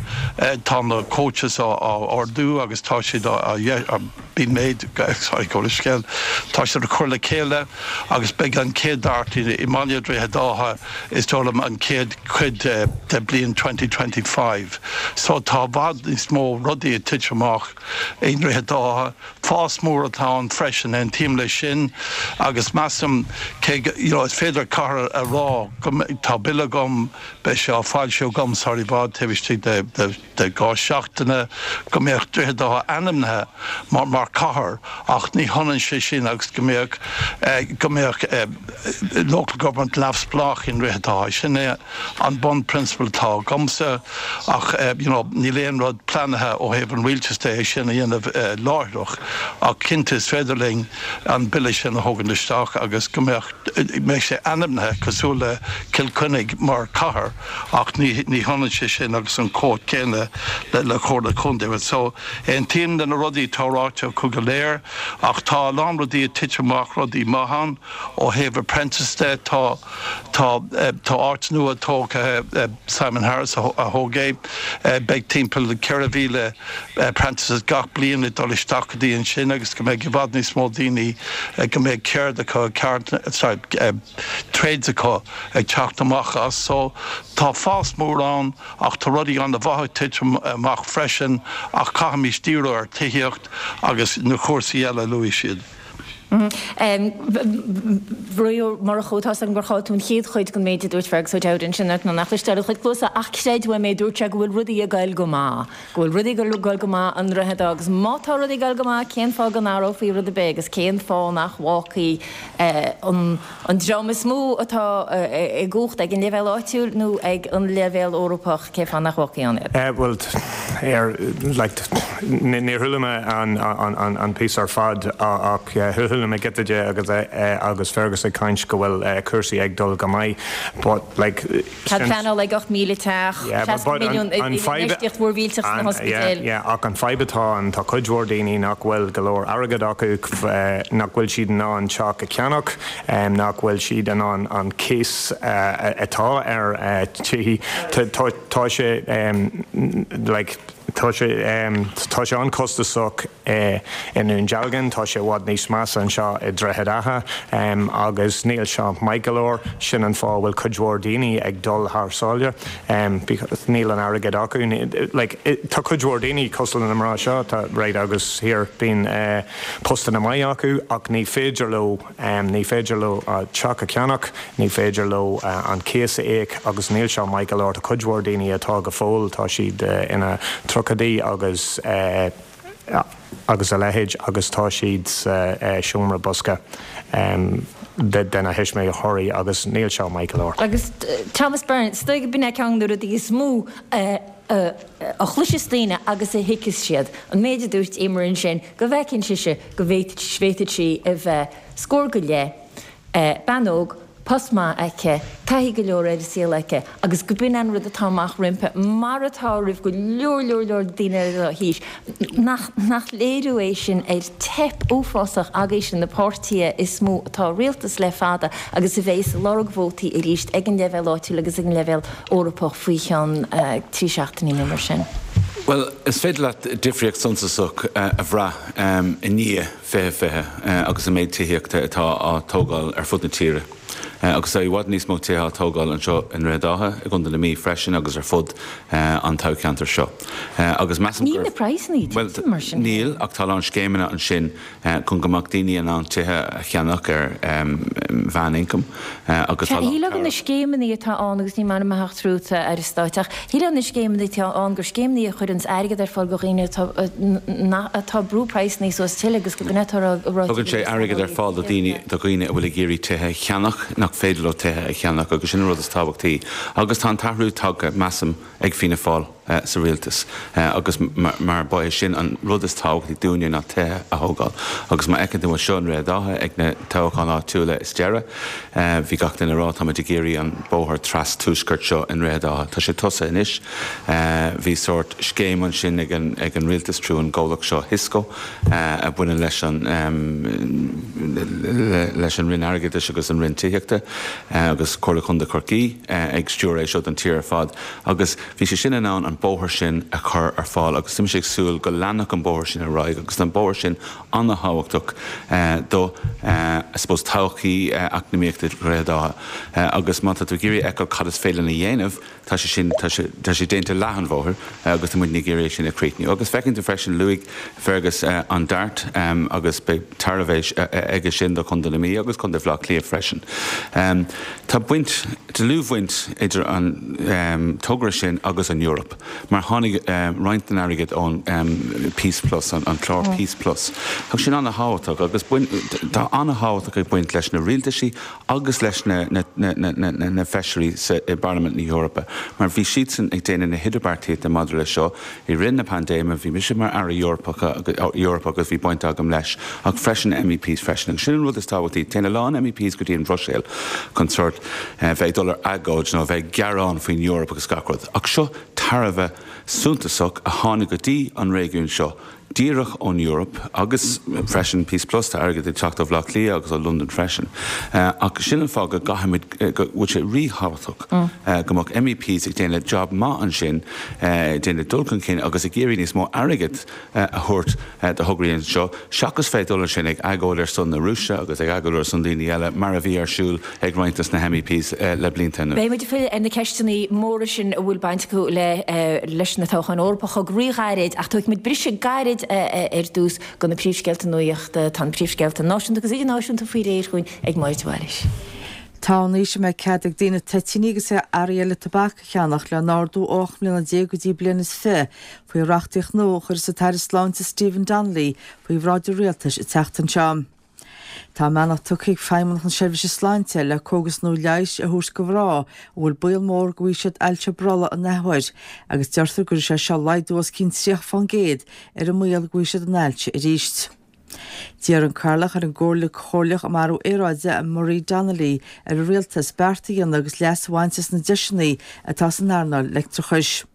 tá na coaches á ordú agus tá siad á been made sorry gabh mo leithscéal tá siad á cur le chéile agus beidh an chéad Dart i mBaile Droichead Átha is dóigh liom an chéad chuid de bliain twenty twenty five. So tá i bhfad níos mó rudaí ag titim amach i nDroichead Átha. Fás mór atá ann freisin, aontaím leis sin agus measaim cé go you know is féidir cathair a rá go tá bille agam, beidh sé á foilsiú agam sar i bhfad taobh istigh de de de dhá seachtaine go mbeadh Droichead Átha ainmnithe mar mar cathair ach ní hionann sé sin agus go mbeadh go mbeadh local government neamhspleách i nDroichead Átha. Sin é an bunphrionsabal atá agamsa ach you know níl aon rud pleanaithe ó thaobh an rialtais de é sin a dhéanamh láithreach ach cinnte is féidir linn an bille sin a thógaint isteach agus go mbeadh mbeadh sé ainmnithe cosúil le Cill Chainnigh mar cathair ach ní ní hionann sé sin agus an chumhacht céanna le le Comhairle Contae. So aontaím le na rudaí atá ráite acu go léir ach tá a lán rudaí ag titim amach rudaí maith ann ó thaobh apprentice de tá tá tá áit nua tógtha Simon Harris a thóg é beidh timpeall ceithre mhíle apprentices gach bliain ag dul isteach go dtí ansin agus go mbeidh i bhfad níos mó daoine go mbeidh ceird acu sorry trades acu ag teacht amach as so tá fás mór ann ach tá rudaí an-mhaith ag titim amach freisin ach caithfimid díriú ar tithíocht agus na cúrsaí eile a luaigh siad. Ruairí Ó Murchú, Tá's agam gur chaill tú an chéad chuid den méid a dúirt Fergus O'Dowd ansin ort nó nach cloisteáil do chuid cluasa ach creid uaim é dúirt sé go bhfuil rudaí ag goil go maith, go bhfuil rudaí ag goil go maith i nDroichead Átha agus má tá rudaí ag goil go maith cén fáth go n-athrófaí rud ar bith agus cén fáth nach bhfágfaí an an dream is mó atá i gcumhacht ag an leibhéal áitiúil nó ag an leibhéal Eorpach, cén fáth nach bhfágfaí ann iad? Bhuel, ar, like, níor chuala mé an, an, an píosa ar fad ach chuala mé giota de agus, agus Fergus ag caint go bhfuil cúrsaí ag dul go maith but, like, Tá pleanáil ag ocht míle teach, seasca milliún infheistíocht mhór mhillteach sna hospidéil. Yeah, ach an fadhb atá ann, tá cuid mhór daoine nach bhfuil go leor airgead acu, nach bhfuil siad in ann teach a cheannach, nach bhfuil siad in ann an cíos atá ar tithe. Tá sé like tá sé tá sé an-chostasach i nDún Dealgan, tá sé i bhfad níos measa anseo i Droichead Átha agus níl seo maith go leor. Sin an fáth a bhfuil cuid mhór daoine ag dul thar sáile because níl an airgead acu. Like tá cuid mhór daoine cosúil le na mná seo tá right agus here bíonn postanna maith acu ach ní féidir leo ní féidir leo teach a cheannach, ní féidir leo an cíos a íoc agus níl seo maith go leor. Tá cuid mhór daoine atá go fóill, tá siad ina dtríochaidí agus agus a leithéid agus tá siad sa seomra bosca de na thuismitheoirí agus níl seo maith go leor. Agus Thomas Byrne, is dóigh gurb in é ceann de na rudaí is mó a chloiseas daoine agus a thuigfeas siad, an méid a dúirt Eimear ansin, go bhfeiceann sise go bhféadfadh sí a bheith scór go leith, bean óg, post maith aici, taithí go leor ar an saol aici agus go b'in an rud atá amach roimpi, mar atá roimh go leor leor leor daoine eile dá haois. Nach, nach léiriú é sin ar teip uafásach agaibhse, na páirtithe is mó atá i rialtas le fada agus a bheas ag lorg vótaí arís ag an leibhéal áitiúil agus ag an leibhéal Eorpach faoi cheann trí seachtainí nó mar sin? Bhuel, is féidir leat difríocht suntasach a bhrath i ndiaidh fiche fiche agus an méid tithíochta atá á tógáil ar fud na tíre. Agus tá i bhfad níos mó tithe á tógáil anseo i nDroichead Átha, i gContae na Mí freisin agus ar fud an toghcheantair seo. Agus measaim gur. Níl na praghsanna ag titim mar sin. Níl, ach tá a lán scéimeanna ansin chun go mbeadh daoine in ann tithe a cheannach ar mheánioncam agus tá a lán. Shílfeá go na scéimeanna atá ann, agus níl m'ainm a theacht tríot, a Aire Stáit, ach shílfeá na scéimeanna atá ann gur scéimeanna a chuireanns airgead ar fáil do dhaoine atá atá ag brú praghsanna suas tuilleadh agus go mbeadh atá ráite Tugann sé airgead ar fáil do dhaoine do dhaoine a bhfuil ag iarraidh tithe a cheannach nach féidir leo tithe a cheannach agus sin an rud is tábhachtaí agus tá an t-athrú tagtha, measaim, ag Fianna Fáil sa rialtas agus mar ba é sin an rud is tábhachtaí dúinne ná tithe a thógáil agus má fheiceann tú anseo i nDroichead Átha ag na toghcháin áitiúla is deireadh bhí gach duine ag rá táimid ag iarraidh an bóthar tras tuaiscirt seo i nDroichead Átha. Tá sé tosaithe anois. Bhí sórt scéim ansin ag an ag an rialtas trú an gcomhlacht seo Thisco a bhaineann leis an leis an Roinn Airgeadais agus an Roinn Tithíochta agus Comhairle Contae Chorcaí ag stiúradh é seo don tír ar fad agus bhí sé sin in ann an bóthar sin a chur ar fáil agus tá mise ag súil go leanfadh an bóthar sin ar aghaidh agus tá an bóthar sin an-thábhachtach do I suppose todhchaí eacnamaíochta Dhroichead Átha agus má tá tú ag iarraidh a fheiceáil cad is féidir linn a dhéanamh tá sé sin tá sé tá sé déanta leath an bhóthair agus tá muidne ag iarraidh é sin a chríochnú. Agus feiceann tú freisin luaigh Fergus an Dart agus beidh tairbhe aige sin do Chontae na Mí agus Contae Bhaile Átha Cliath freisin. Tá baint, dlúthbhaint idir an togra sin agus an Eoraip, mar tháinig roinnt den airgead ón Peace Plus, an clár Peace Plus. Tá sin an-thábhachtach agus tá an-thábhachtach ag baint leis na rialtaisí agus leis na feisirí i bParlaimint na hEorpa, mar bhí siadsan ag déanamh na hidirbheartaíochta maidir leis seo i rith na paindéime. Bhí mise mar Aire Eorpach Eorpach agus bhí baint agam leis, ach freisin MEPs freisin. Agus sin an rud is tábhachtaí. Téann a lán MEPs go dtí an Bhruiséil chun sórt bheith ag dul ar agóid nó bheith ag gearán faoin Eoraip agus gach rud. Ach seo tairbhe suntasach a tháinig go dtí an réigiún seo díreach ón Eoraip agus freisin Peace Plus, tá airgead ag teacht ó Bhaile Átha Cliath agus ó Londain freisin. Ach sin an fáth go gcaithfimid, go bhfuil sé ríthábhachtach go mbeadh MEPs ag déanamh job maith ansin, ag déanamh dul chun cinn agus ag iarraidh níos mó airgead a thabhairt do thograí anseo, seachas bheith ag dul ansin ag agóid ar son na Rúise agus ag agóid ar son daoine eile, mar a bhí ar siúl ag roinnt des na MEPs le blianta anuas. Beidh muid ag filleadh ar na ceisteanna móra sin a bhfuil baint acu leis na toghcháin Eorpacha go ríghairid, ach tógfaidh muid briseadh gairid ar dtús go na príomhscéalta nuachta. Tá na príomhscéalta náisiúnta agus idirnáisiúnta faoi réir chugainn ag Máire de Bhailís. Tá an aois a mbeidh cead ag daoine toitíní agus earraí eile tobac a cheannach le n-ardú ó ocht mbliana déag go dtí bliain is fiche faoi reachtaíocht nua a chuirfeas an tAire Sláinte Stephen Donnelly faoi bhráid an Rialtais an tseachtain seo. Tá a mbeannacht tugtha ag Feidhmeannacht na Seirbhíse Sláinte le cógas nua leighis a thabhairt do mhná a bhfuil baol mór go bhfaighidh siad ailse brollaigh an athuair agus deirtear go gcuirfidh sé seo laghdú os cionn tríocha fán gcéad ar an mbaol go bhfaighidh siad an ailse arís. D'iarr an Cathaoirleach ar an gComhairle Chomhairleach um Athrú Aeráide, Marie Donnelly, ar an Rialtas beart a dhéanamh agus leas a bhaint as na deiseanna atá san earnáil leictreachais.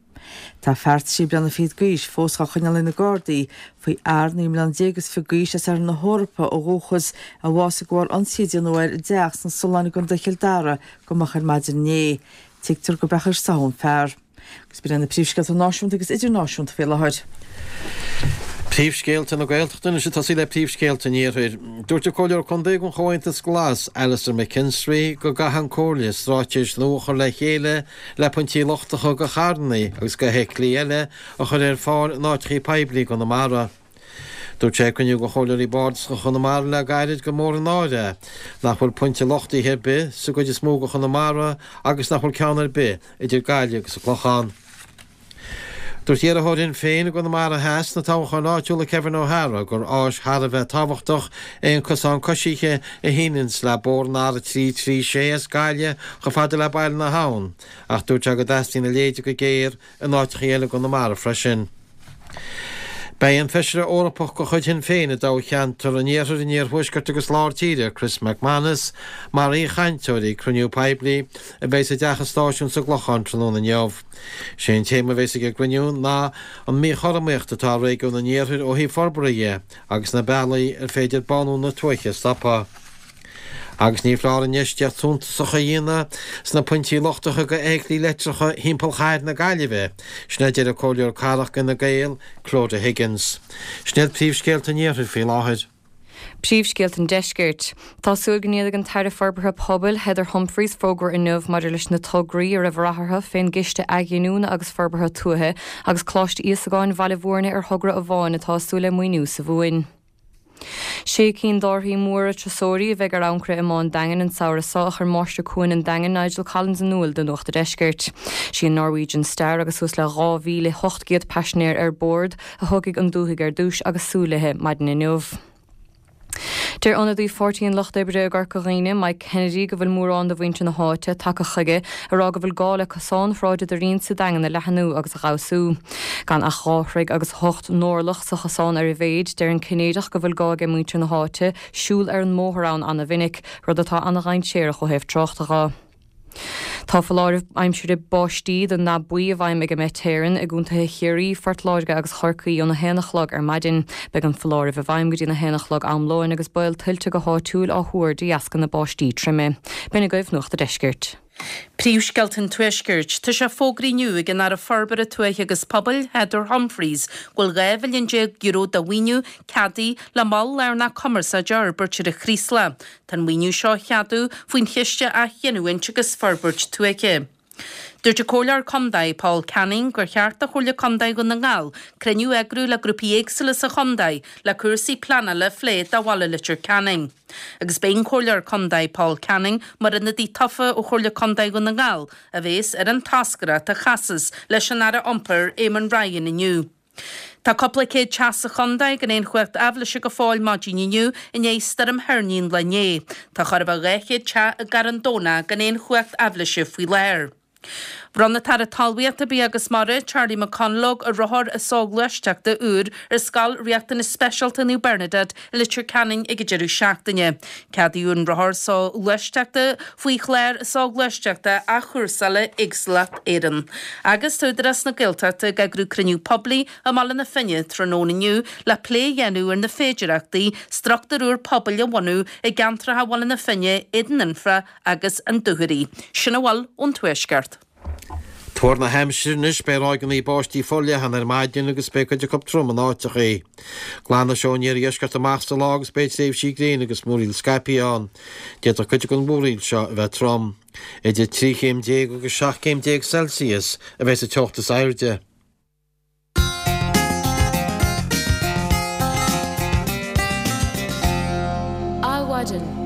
Tá fear trí bliana fichead d'aois fós á choinneáil ag na Gardaí faoi fhear naoi mbliana déag is fiche d'aois as Oirthear na hEorpa ó dhúchas a bhásaigh de bharr ionsaí a déanadh air i dteach sna Solláin i gContae Chill Dara go moch ar maidin inné. Tuigtear gurb é a an fear. Agus b'in iad na príomhscéalta náisiúnta agus idirnáisiúnta faoi láthair. Príomhscéalta na Gaeltachta anois ag tosaí le príomhscéalta an Iarthair. Dúirt an Comhairleoir Contae den Chomhaontas Glas, Alastair McKinstry, go gcaithfidh an Comhairle straitéis nua a chur le chéile le pointí luchtacha do charranna agus do fheithiclí eile a chur ar fáil in áiteacha poiblí i gConamara. Dúirt sé ag cruinniú de Chomhairleoirí Bardasacha Chonamara le gairid gur mór an náire é nach bhfuil pointe luchtaithe ar bith sa gcuid is mó de Chonamara agus nach bhfuil ceann ar bith idir Gaillimh agus an Clochán. Dúirt iarrthóir Shinn Féin i gConamara Theas sna toghcháin áitiúla Kevin O'Hara gur áis thar a bheith tábhachtach é an cosán coisithe a shíneanns le bóthar an R a trí trí sé as Gaillimh chomh fada le Baile na hAbhann ach dúirt sé go dteastaíonn a leithéid go géar in áiteacha eile i gConamara freisin. Beidh an Feisire Eorpach de chuid Shinn Féin i dtoghcheantar an Iarthair, an Iarthuaiscirt agus Lár Tíre, Chris MacManus, mar aoichainteoir ag cruinniú poiblí a bheidh i dTeach an Stáisiúin sa gClochán tráthnóna inniu. Sé an téama a bheas ag an gcruinniú ná an míchothromaíocht atá i réigiún an Iarthair ó thaobh forbartha dhe agus na bealaí ar féidir bánú na tuaithe a stopadh. Agus ní foláir infheistíocht suntasach a dhéanamh sna pointí luchtaithe do fheithiclí leictreacha thimpeall chathair na Gaillimhe, sin a deir an Comhairleoir Cathrach d'Fhine Gael, Clodagh Higgins. Sin iad príomhscéalta an Iarthair faoi láthair. Príomhscéalta an Deiscirt. Tá súil go ndéanfaidh an tAire Forbartha Pobail, Heather Humphreys fógra inniu maidir leis na tograí a raibh rath orthu fén gCiste Athghiniúna agus Forbartha Tuaithe agus Coláiste Íosagáin Bhaile Mhúirne ar thogra amháin atá ag súil le maoiniú sa Mhumhain. Sé cinn d'árthaí móra turasóirí a bheidh ar ancaire i mBá an Daingin an samhradh seo a chuir Máistir Cuain an Daingin Nigel Collins in iúl do Nuacht a' Deiscirt. Sí an Norwegian Star agus suas le dhá mhíle ocht gcéad paisinéir ar bord a thógfaidh an dúthaigh ar dtús agus súil léi maidin inniu. Deir ionadaí Pháirtí an Lucht Oibre i gCorca Dhuibhne, Mike Kennedy, go bhfuil mórán de mhuintir na háite tagtha chuige ag rá go bhfuil gá le cosán Shráid an Doirín sa Daingean a leathnú agus a fheabhsú. Gan ach dhá throigh agus hocht n-orlach sa chosán ar a mhéid, deir an Cinnéideach go bhfuil gá ag muintir na háite siúl ar an mbóthar ann ana-mhinic, rud atá ana-dhainséarach ó thaobh tráchta dho. Tá foláireamh aimsire báistí den ndath buí i bhfeidhm ag an Met Éireann i gcontaetha Chiarraí, Phort Láirge agus Chorcaí óna haon a chlog ar maidin. Beidh an foláireamh i bhfeidhm go dtí na haon a chlog am lóin agus baol tuilte go háitiúil á thuar de dheasca na báistí troime. B'in agaibh Nuacht a' Deiscirt. Príomhscéalta an Tuaiscirt. Tá sé fógraithe inniu ag an Aire Forbartha Tuaithe agus Pobail, Heather Humphreys, go bhfuil dhá mhilliún déag euro de mhaoiniú ceadaithe le mol lárnach cumarsáide a fhorbairt ar an Chraoslach. Tá an maoiniú seo á cheadú faoin Chiste Athghiniúint agus Forbairt Tuaithe. Dúirt an Comhairleoir Contae, Paul Canning, gur cheart do Chomhairle Contae Dhún na nGall cruinniú a eagrú le grúpaí éagsúla sa chontae le cúrsaí pleanála a phlé do bhaile Leitir Ceanainn. Agus beidh an Comhairleoir Contae, Paul Canning, mar ionadaí tofa ó Chomhairle Contae Dhún na nGall, a bhéas ar an toscaireacht a chasas leis an Aire Iompair, Eamon Ryan inniu. Tá cúpla céad teach sa chontae gan aon chumhacht aibhléise go fóill maidin inniu i ndiaidh stoirm thoirní an lae inné. Tá chóir a bheith dhá chéad teach i gCarn Domhnach gan aon chumhacht aibhléise faoi láthair. Bhronn an tAire Talmhaíochta, Bia agus Mara, Charlie McConalogue, rothar soghluaisteachta úr ar Scoil Riachtanas Speisialta Naomh Bernadette i Leitir Ceanainn ag an deireadh seachtaine. Ceadaíodh an rothar soghluaisteachta faoi Chlár Soghluaisteachta Athchúrsála Éagsúlacht Éireann. Agus tá Údarás na Gaeltachta ag eagrú cruinniú poiblí i mBaile na Finne tráthnóna inniu le plé a dhéanamh ar na féidearthachtaí struchtúr úr pobail a bhunú i gceantracha Bhaile na Finne, Éadan Anfa agus an Dúchoraidh. Sin a bhfuil ón Tuaisceart. Tuar na haimsire anois, beidh ráigeanna báistí forleathan ar maidin agus beidh cuid acu trom in áiteachaí. Glanfaidh sé ón iardheisceart amach sa lá agus beidh tréimhsí gréine agus múraíl scaipthe ann. D'fhéadfadh cuid den mhúraíl seo a bheith trom. Idir trí chéim déag agus seacht gcéim déag Celsius a bheidh sa teocht is airde. Adhmhaidin.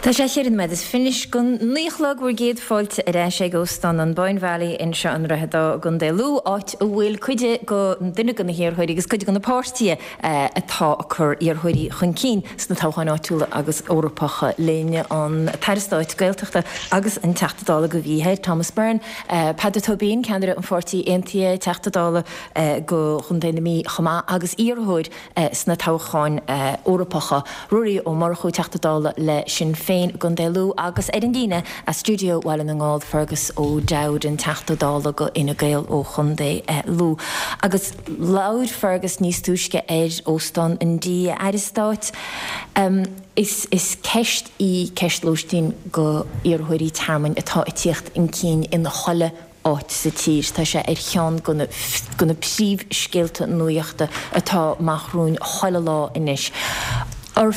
Tá sé cheithre nóiméad is fiche anois go naoi a chlog bhur gcéad fáilte ar ais ag Óstán an Boyne Valley anseo i nDroichead Átha i gContae Lú, áit a bhfuil cuid de duine de na hiarrthóirí agus cuid de na páirtithe atá ag cur iarrthóirí chun cinn sna toghcháin áitiúla agus Eorpacha linn, an tAire Stáit Gaeltachta agus an Teachta Dála do Mhí Thoir, Thomas Byrne, Peadar Tóibín, ceannaire an Pháirtí Aontaithe, Teachta Dála do Chontae na Mí chomh maith agus iarrthóir sna toghcháin Eorpacha, Ruairí Ó Murchú, Teachta Dála le Sinn Féin i gContae Lú agus ar an líne as stiúideo Bhaile na nGall, Fergus O'Dowd, an Teachta Dála do Fhine Gael ó Chontae Lú. Agus labhair Fergus níos túisce ar Óstán an D, a Aire Stáit. Is is ceist í ceist lóistín do iarrthóirí tearmainn atá ag tíocht chun cinn in chuile áit sa tír. Tá sé ar cheann de na de na príomhscéalta nuachta atá amach romhainn chuile lá anois. Ar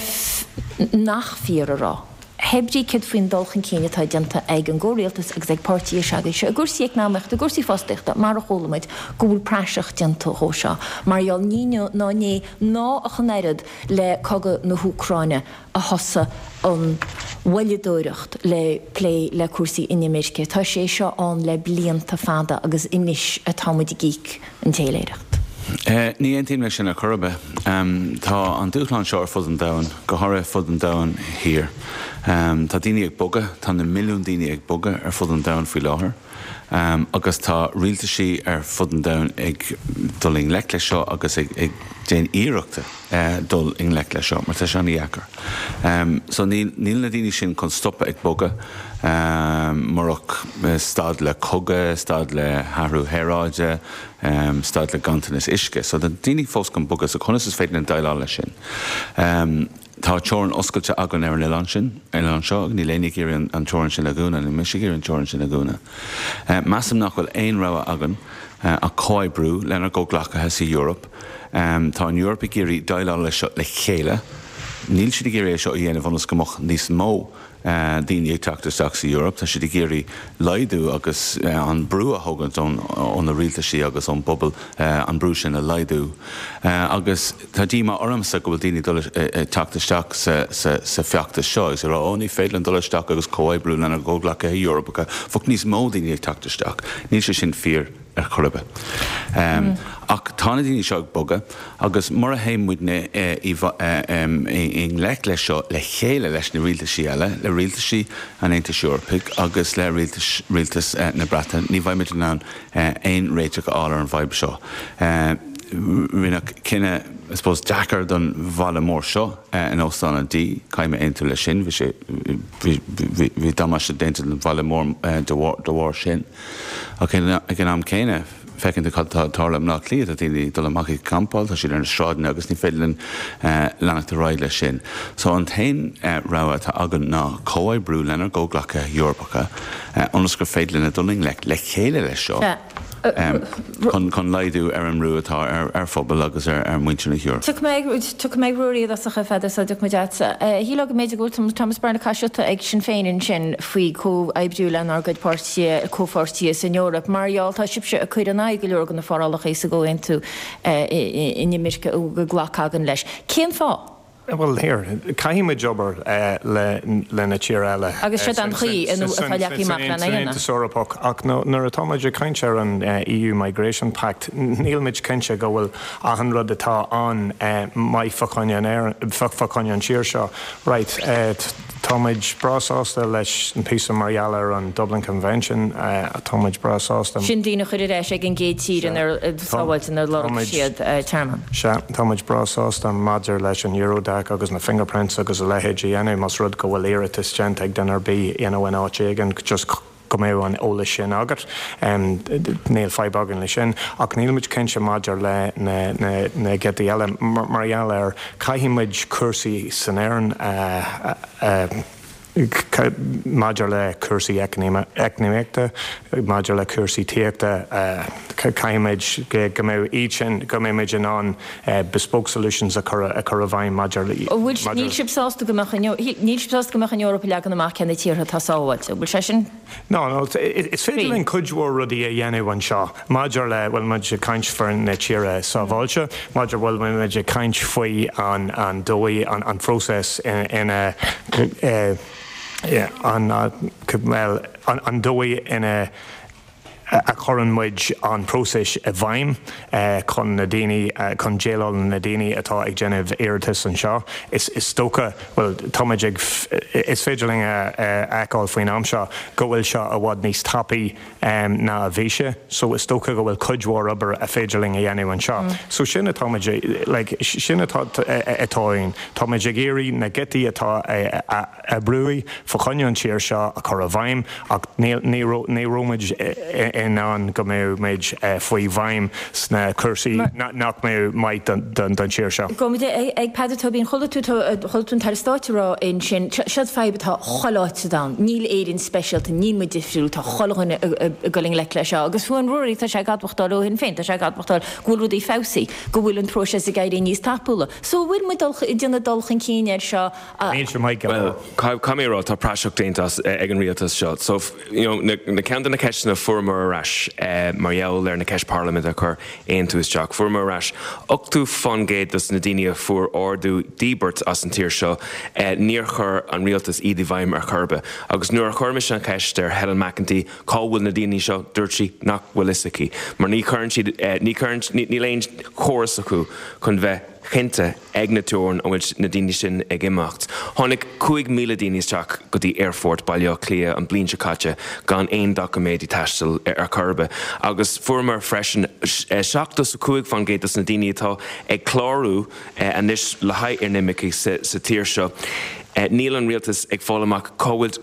nach fíor a rá, hé brí céard faoin dul chun cinn atá déanta ag an gcomhrialtas agus ag páirtithe s'agaibhse i gcúrsaí eacnamaíochta, i gcúrsaí fostaíochta, mar a chuala muid, go bhfuil praiseach déanta dhó seo. Mar gheall ní inniu ná inné ná ach an oiread le cogadh na hÚcráine a thosaigh an mhoilleadóireacht le plé le cúrsaí inimirce. Tá sé seo ann le blianta fada agus anois atá muid ag íoc an téiléireacht. Ní aontaím leis sin ar chor ar bith. Tá an dúshlán seo ar fud an domhain, go háirithe fud an domhain thiar. Tá daoine ag bogadh, tá na milliúin daoine ag bogadh ar fud an domhain faoi láthair agus tá rialtaisí ar fud an domhain ag dul i ngleic leis seo agus ag déanamh iarrachta dul i ngleic leis seo mar tá sé an-dheacair. So níl na daoine sin chun stopadh ag bogadh murach stad le cogadh, stad le hathrú aeráide, stad le ganntanas uisce. So tá daoine fós chun bogadh, so conas is féidir linn déileáil leis sin? Tá teorainn oscailte againn ar an oileán sin, ar an oileán seo, níl éinne ag iarraidh an teorainn sin a dhúnadh, níl mise ag iarraidh an teorainn sin a dhúnadh. Measaim nach bhfuil aon rogha againn ach comhoibriú lenár gcomhghleacaithe sa Eoraip. Tá an Eoraip ag iarraidh déileáil leis seo le chéile. Níl siad ag iarraidh é seo a dhéanamh ionas go mbeadh níos mó daoine ag teacht isteach sa Eoraip. Tá siad ag iarraidh laghdú agus an brú a thógaint ó na rialtaisí agus ón bpobal, an brú sin a laghdú. Agus tá díomá ormsa go bhfuil daoine ag dul ag teacht isteach sa feachtas seo agus ag rá, 'Ó, ní féidir linn dul isteach agus comhoibriú lenár gcomhghleacaithe Eorpacha, bheadh níos mó daoine ag teacht isteach. Níl sé sin fíor. ar chor ar bith. Ach tá na daoine seo ag bogadh agus mura théann muidne i ngleic leis seo le chéile leis na rialtaisí eile, le rialtaisí an Aontais Eorpaigh agus le rialtas na Breataine, ní bheidh muid in ann aon réiteach a fháil ar an bhfadhb seo. Rinneadh cinneadh, I suppose, deacair don bhaile mór seo in Óstán an D, caithfidh mé aontú leis sin, bhí sé, bhí damáiste déanta don bhaile mór de bharr sin. Ach ag an am céanna, feiceann tú cad atá ag tarlú i mBleá Cliath, tá daoine ag dul amach ag campáil, tá siad ar na sráideanna agus ní féidir linn leanacht ar aghaidh leis sin. So an t-aon rogha atá againn ná comhoibriú lenár gcomhghleacaithe Eorpacha ionas gur féidir linn dul i ngleic le chéile leis seo. Chun laghdú ar an mbrú atá ar phobal agus ar mhuintir na hEorpa. Tiocfaidh mé ag Ruairí i dtosach, a Pheadair, sula dtiocfaidh muid agatsa. Shílfeá go mb'fhéidir go bhfuil Thomas Byrne ag caith siota ag Sinn Féin ansin faoi comhoibriú lenár gcuid páirtithe, comhpháirtithe san Eoraip. Mar gheall, tá sibhse ag cur in aghaidh go leor de na forálacha sa gcomhaontú inimirce a bhfuil glactha againn leis. Cén fáth? Bhuel, here, caithfidh muid obair le le na tíortha eile. Agus siod an chaoi atá leagtha amach lena San Aontas Eorpach, ach nuair atá muid ag caint ar an EU Migration Pact, níl muid cinnte go bhfuil achan rud atá ann maith fá choinne an tír seo. Right, tá muid breá sásta leis an píosa mar gheall ar an Dublin Convention, tá muid breá sásta. Sin daoine a chur ar ais ag an gcéad tír inar sábháilte inar lorg siad tearmann. Sea, tá muid breá sásta maidir leis an Eurodac agus na fingerprints agus a leithéid a dhéanamh más rud go bhfuil iarratas déanta ag duine ar bith you know in áit éigin just go mbeadh an eolas sin agat. Níl fadhb againn leis sin. Ach níl muid cinnte maidir le na na na giotaí eile mar gheall ar caithfidh muid cúrsaí san Éirinn a a maidir le cúrsaí eacnamaíochta, maidir le cúrsaí tithíochta, caithfidh muid go mbeidh iad sin, go mbeidh muid in ann bespoke solutions a chur a chur i bhfeidhm maidir le. Bhfuil, níl sibh sásta go mbeadh an, níl sibh sásta go mbeadh an Eoraip ag leagan amach cé na tíortha atá sábháilte, an bhfuil sé sin? No, no, is féidir linn cuid mhór rudaí a dhéanamh anseo maidir le, bhfuil muid ag caint faoi na tíortha sábháilte, maidir bhfuil muid ag caint faoi an an dóigh, an an phróiseas ina an bhuel an dóigh ina a chuireann muid an próiseas i bhfeidhm chun na daoine, chun déileáil le na daoine atá ag déanamh iarratas anseo. Is is dócha, bhuel, tá muid ag, is féidir linn a fheiceáil faoin am seo go bhfuil seo i bhfad níos tapaí ná a bhí sé. So is dócha go bhfuil cuid mhór obair a féidir linn a dhéanamh anseo. So sin atá muid, like, sin atá atá ann. Tá muid ag iarraidh na giotaí atá a oibreoidh fá choinne an tír seo a chur i bhfeidhm ach ní ní raibh muid in ann go mbeadh muid faoi bhfeidhm sna cúrsaí nach mbeadh maith don tír seo. Gabhfaidh muid ag Peadar Tóibín, chuala tú chuala tú an tAire Stáit ag rá ansin, seo fadhb atá chuile áit sa domhan, níl Éirinn speisialta, níl muid difriúil, tá chuile dhuine ag dul i ngleic leis seo agus fiú an Ruairí tá sé ag admhachtáil ó Shinn Féin, tá sé ag admhachtáil go bhfuil rudaí feabhsaithe, go bhfuil an próiseas ag éirí níos tapúla. So an bhfuil muid ag déanamh dul chun cinn air seo? Níl sé maith go leor. Bhuel, caithfidh mé a rá, tá praiseach déanta as ag an rialtas seo. So, you know, na, na ceann de na ceisteanna a fuaireamar ar ais mar gheall ar na ceist parlaiminte a chuir Aontú isteach, fuaireamar ar ais ochtó fán gcéad dos na daoine a fuair ordú díbirt as an tír seo, níor chuir an rialtas iad i bhfeidhm ar chor ar bith. Agus nuair a chuir mise an cheist ar Helen McEntee cá bhfuil na daoine seo, dúirt sí nach bhfuil fhios aici. Mar ní chuireann siad, ní chuireann, níl aon chóras acu chun bheith cinnte ag na teorann an bhfuil na daoine sin ag imeacht. Tháinig cúig míle daoine isteach go dtí aerfort Baile Átha Cliath an bliain seo caite gan aon doiciméidí taistil ar chor ar bith agus fuaireamar freisin seachtó is a cúig fán gcéad dos na daoine atá ag clárú anois le haghaidh inimircigh sa tír seo níl an rialtas ag fáil amach cá bhfuil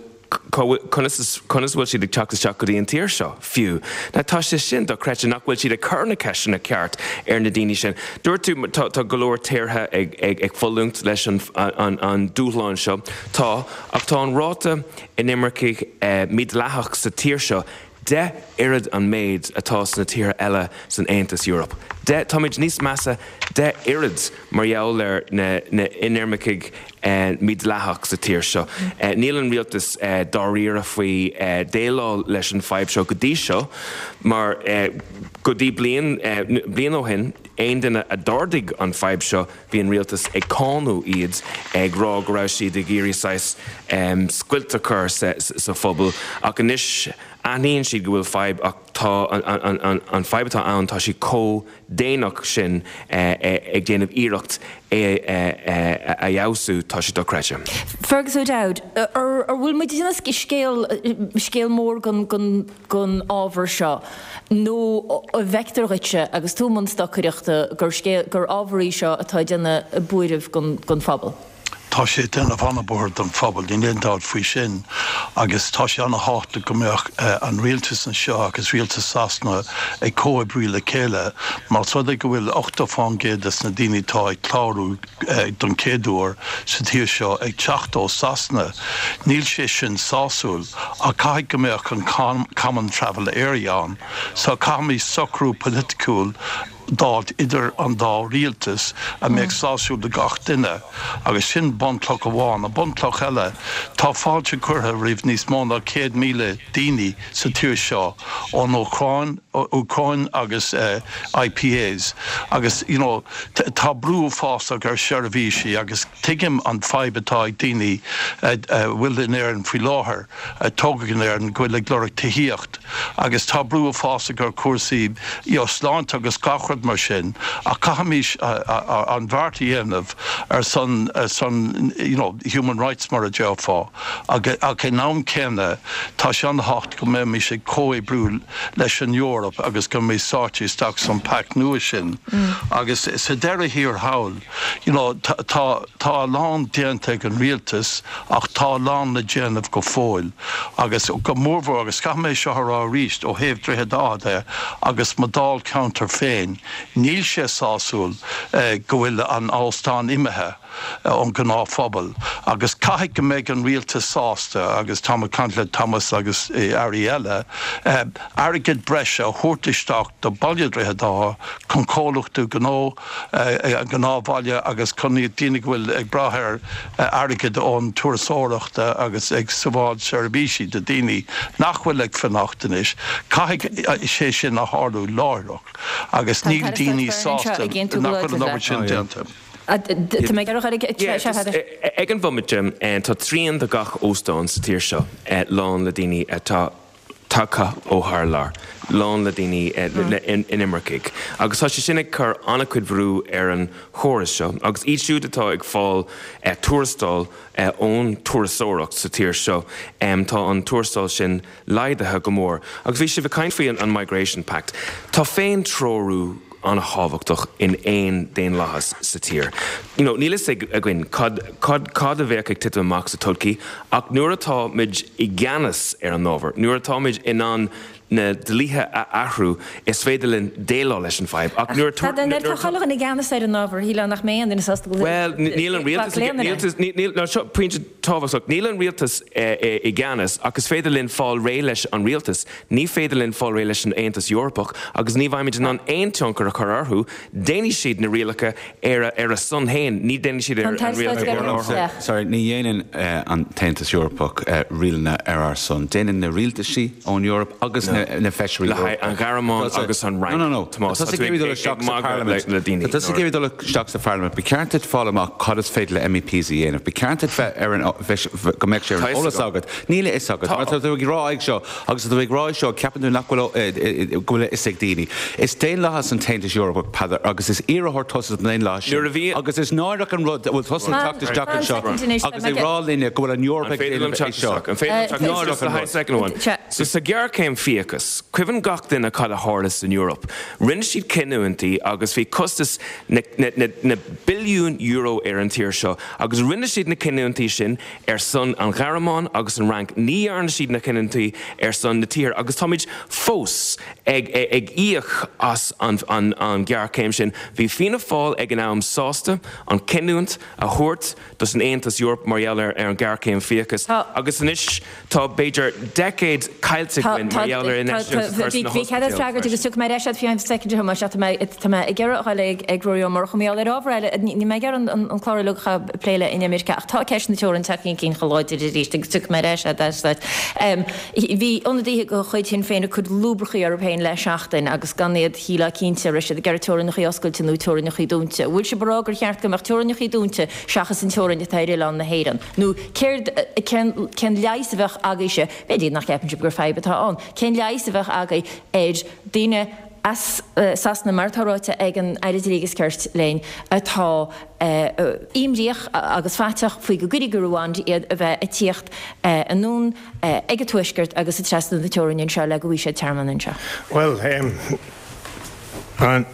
conas conas bhfuil siad ag teacht isteach go dtí an tír seo fiú. Now tá sé sin dochreidte nach bhfuil siad ag cur na ceisteanna ceart ar na daoine sin. Dúirt tú tá, tá go leor tíortha ag, ag, ag fulaingt leis an, an, an dúshlán seo. Tá ach tá an ráta inimircigh eh, mídhleathach sa tír seo deich oiread an méid atá sna tíortha eile san Aontas Eorpach. De táimid níos measa deich oiread mar gheall ar na, na inimircigh eh, mídhleathach sa tír seo. Eh, níl an rialtas eh, dáiríre faoi eh, déileáil leis an fadhb seo go dtí seo, mar eh, go dtí bliain eh, bliain ó shin aon duine a d'ardaigh an fadhb seo bhí an rialtas ag cáineadh iad ag rá go raibh siad ag iarraidh saghas um, scoilt a chur sa, sa phobal ach anois aithníonn siad go bhfuil fadhb ach tá an, an, an, an fadhb atá ann tá sí chomh déanach sin eh, eh, ag déanamh iarracht é eh, a fheabhsú tá sé dochreidte. Fergus O'Dowd, ar ar bhfuil muid ag scéal scéal mór gon gon gon ábhar seo nó an bhfeictear duitse agus tú i mbun stocaireachta gur scéal gur ábhar é seo atá déanamh buairimh gon gon phobal. Tá sé déanamh an-bhuairt don phobal níl aon dabht faoi sin agus tá sé an-tábhachtach go mbeadh an rialtas anseo agus rialtas Sasana ag comhoibriú le chéile mar rud é go bhfuil ochtó faoin gcéad des na daoine atá ag clárú don chéad uair sa tír seo ag teacht ó Sasana. Níl sé sin sásúil ach caithfidh go mbeadh an Common Travel Area ann, so caithfimid socrú polaitiúil d'fháilt idir an dá rialtas a mbeadh sásúil do gach duine agus sin bunchloch amháin a bunchloch eile tá fáilte curtha roimh níos mó ná céad míle daoine sa tír seo ón Úcráin Úcráin agus uh, IPAs agus you know, tá brú uafásach ar seirbhísí agus tuigim an fadhb atá ag daoine uh, uh, bhfuil in Éirinn faoi láthair uh, tógadh in Éirinn go bhfuil ag lorg tithíocht agus tá brú uafásach ar cúrsaí you know, sláinte agus gach rud mar sin ach caithfimid an bheart a dhéanamh ar son son you know, human rights mar a déarfá ach in am céanna tá sé an-tábhachtach go mbeimid ag comhoibriú leis an Eoraip agus go mbeidh sáite isteach san pact nua sin mm. agus sa deireadh thiar thall you know, tá tá a lán déanta ag an rialtas ach tá a lán le déanamh go fóill agus go mórmhór agus caithfidh mé seo rá arís ó thaobh Droichead Átha agus mo dháilcheantar féin níl sé sásúil eh, go bhfuil an óstán imithe ón gnáthphobal agus caithfidh go mbeidh an rialtas sásta agus tá caint le Thomas agus airí eile eh, airgead breise a thabhairt isteach do bhaile Droichead Átha chun comhlachtaí gnó eh, gnáthbhaile agus chun daoine go bhfuil ag brath ar airgead ón turasóireacht agus ag sábháil seirbhísí do daoine nach bhfuil ag fanacht anois. Caithfidh sé sin a tharlú láithreach agus níl daoine sásta nach bhfuil an obair sin déanta. Tá mé Ag an bhomaite tá trian de gach óstán sa tír seo lán le daoine atá tagtha ó thar lear, lán le daoine inimircigh. Agus tá sé sin ag cur an-chuid brú ar an chóras seo, agus iad siúd atá ag fáil tuarastal ón turasóireacht sa tír seo, tá an tuarastal sin laghdaithe go mór. Agus bhí sibh ag caint faoi an Migration Pact. Tá féin-treorú an-thábhachtach in aon daonlathas sa tír. You know, níl a fhios againn cad, cad, cad a bheadh ag titim amach sa todhchaí, ach nuair atáimid i gceannas ar an ábhar, nuair atáimid in ann na dlíthe a athrú is féidir linn déileáil leis an fadhb. Ach nuair tá chuile i gceannas ar an ábhar hí nach mé an Well, níl an rialtas níl seo pointe tábhachtach, níl an rialtas i gceannas ach is féidir linn fáil réidh leis an rialtas, ní féidir linn fáil réidh leis an Aontas Eorpach agus ní bheimid in ann aon tionchar a chur orthu, déanfaidh siad na rialacha ar ar a son féin, ní déanfaidh siad ar an rialacha. Sorry, ní dhéanann an tAontas Eorpach rialacha ar ár son. Déanann na rialtaisí ón Eoraip agus na na feisirí Le an Ghearmáin agus an Fhrainc. No, no, no. Tá le daoine. Tá tú dul isteach sa Pharlaimint, ba cheart duit fáil amach cad is féidir le MEPs a dhéanamh. Ba cheart duit bheith ar an go mbeadh sé ar an eolas agat. Níl a fhios agat. Mar tá tú ag rá ag seo agus tú ag rá seo ceapann tú nach bhfuil go bhfuil a fhios ag daoine. Is daonlathas an tAontas Eorpach Peadar agus is iarrthóir tusa don daonlathas sin. Agus is náireach an rud bhfuil tusa ag teacht isteach anseo agus ag rá linne go bhfuil an Eoraip ag déanamh é seo. An féidir liom teacht isteach? An féidir liom teacht isteach? An féidir liom teacht isteach? So sa ghéarchéim fiacha fiachas. Cuimhin gach duine cad a tharla san Eoraip. Rinne siad cinniúintí agus bhí costas na, na, na, na billiún euro ar an tír seo agus rinne siad na cinniúintí sin ar son an Ghearmáin agus an Fhrainc. Ní dhearna siad na cinniúintí ar son na tíre agus táimid fós ag, ag, ag íoc as an, an, an ghéarchéim sin. Bhí Fianna Fáil ag an am sásta an cinniúint a thabhairt dos an Aontas Eorpach mar gheall ar ar an ghéarchéim fiachas agus anois tá b'fhéidir decade caillte againn mar gheall ar infheistíocht a chur sna Bhí cead freagairt agus tiocfaidh mé ar ais agat faoi soicind a Thomáis ach tá mé tá mé ag iarraidh a ghoil ag ag Ruairí Ó Murchú mar gheall ar ábhar eile níl mé ag iarraidh an an clár uilig a phlé le inimirce ach tá ceist na teorann tagtha chun cinn chomh láidir arís agus tiocfaidh mé ar ais agat. Bhí ionadaithe de chuid Shinn Féin ag cur lúbrachaí orthu féin le seachtain agus gan iad shílfeá cinnte an raibh siad ag iarraidh teorainneacha oscailte nó teorainneacha dúnta. Bhfuil sibh ag rá gur cheart go mbeadh teorainneacha dúnta seachas an teorainn atá ar oileán na hÉireann? Nó céard, cén, cén leigheas a bheadh agaibhse, b'fhéidir nach gceapann sibh gur fadhb atá ann, cén leigheas a bheadh agaibh ar daoine as Sasana, mar atá ráite ag an Aire Dlí agus Cirt linn, atá imníoch agus faiteach faoi go gcuirfí go Ruanda iad a bheith ag tíocht anonn ag an Tuaisceart agus ag trasnú na teorainne anseo le go bhfaighidh siad tearmann anseo? Bhuel, an.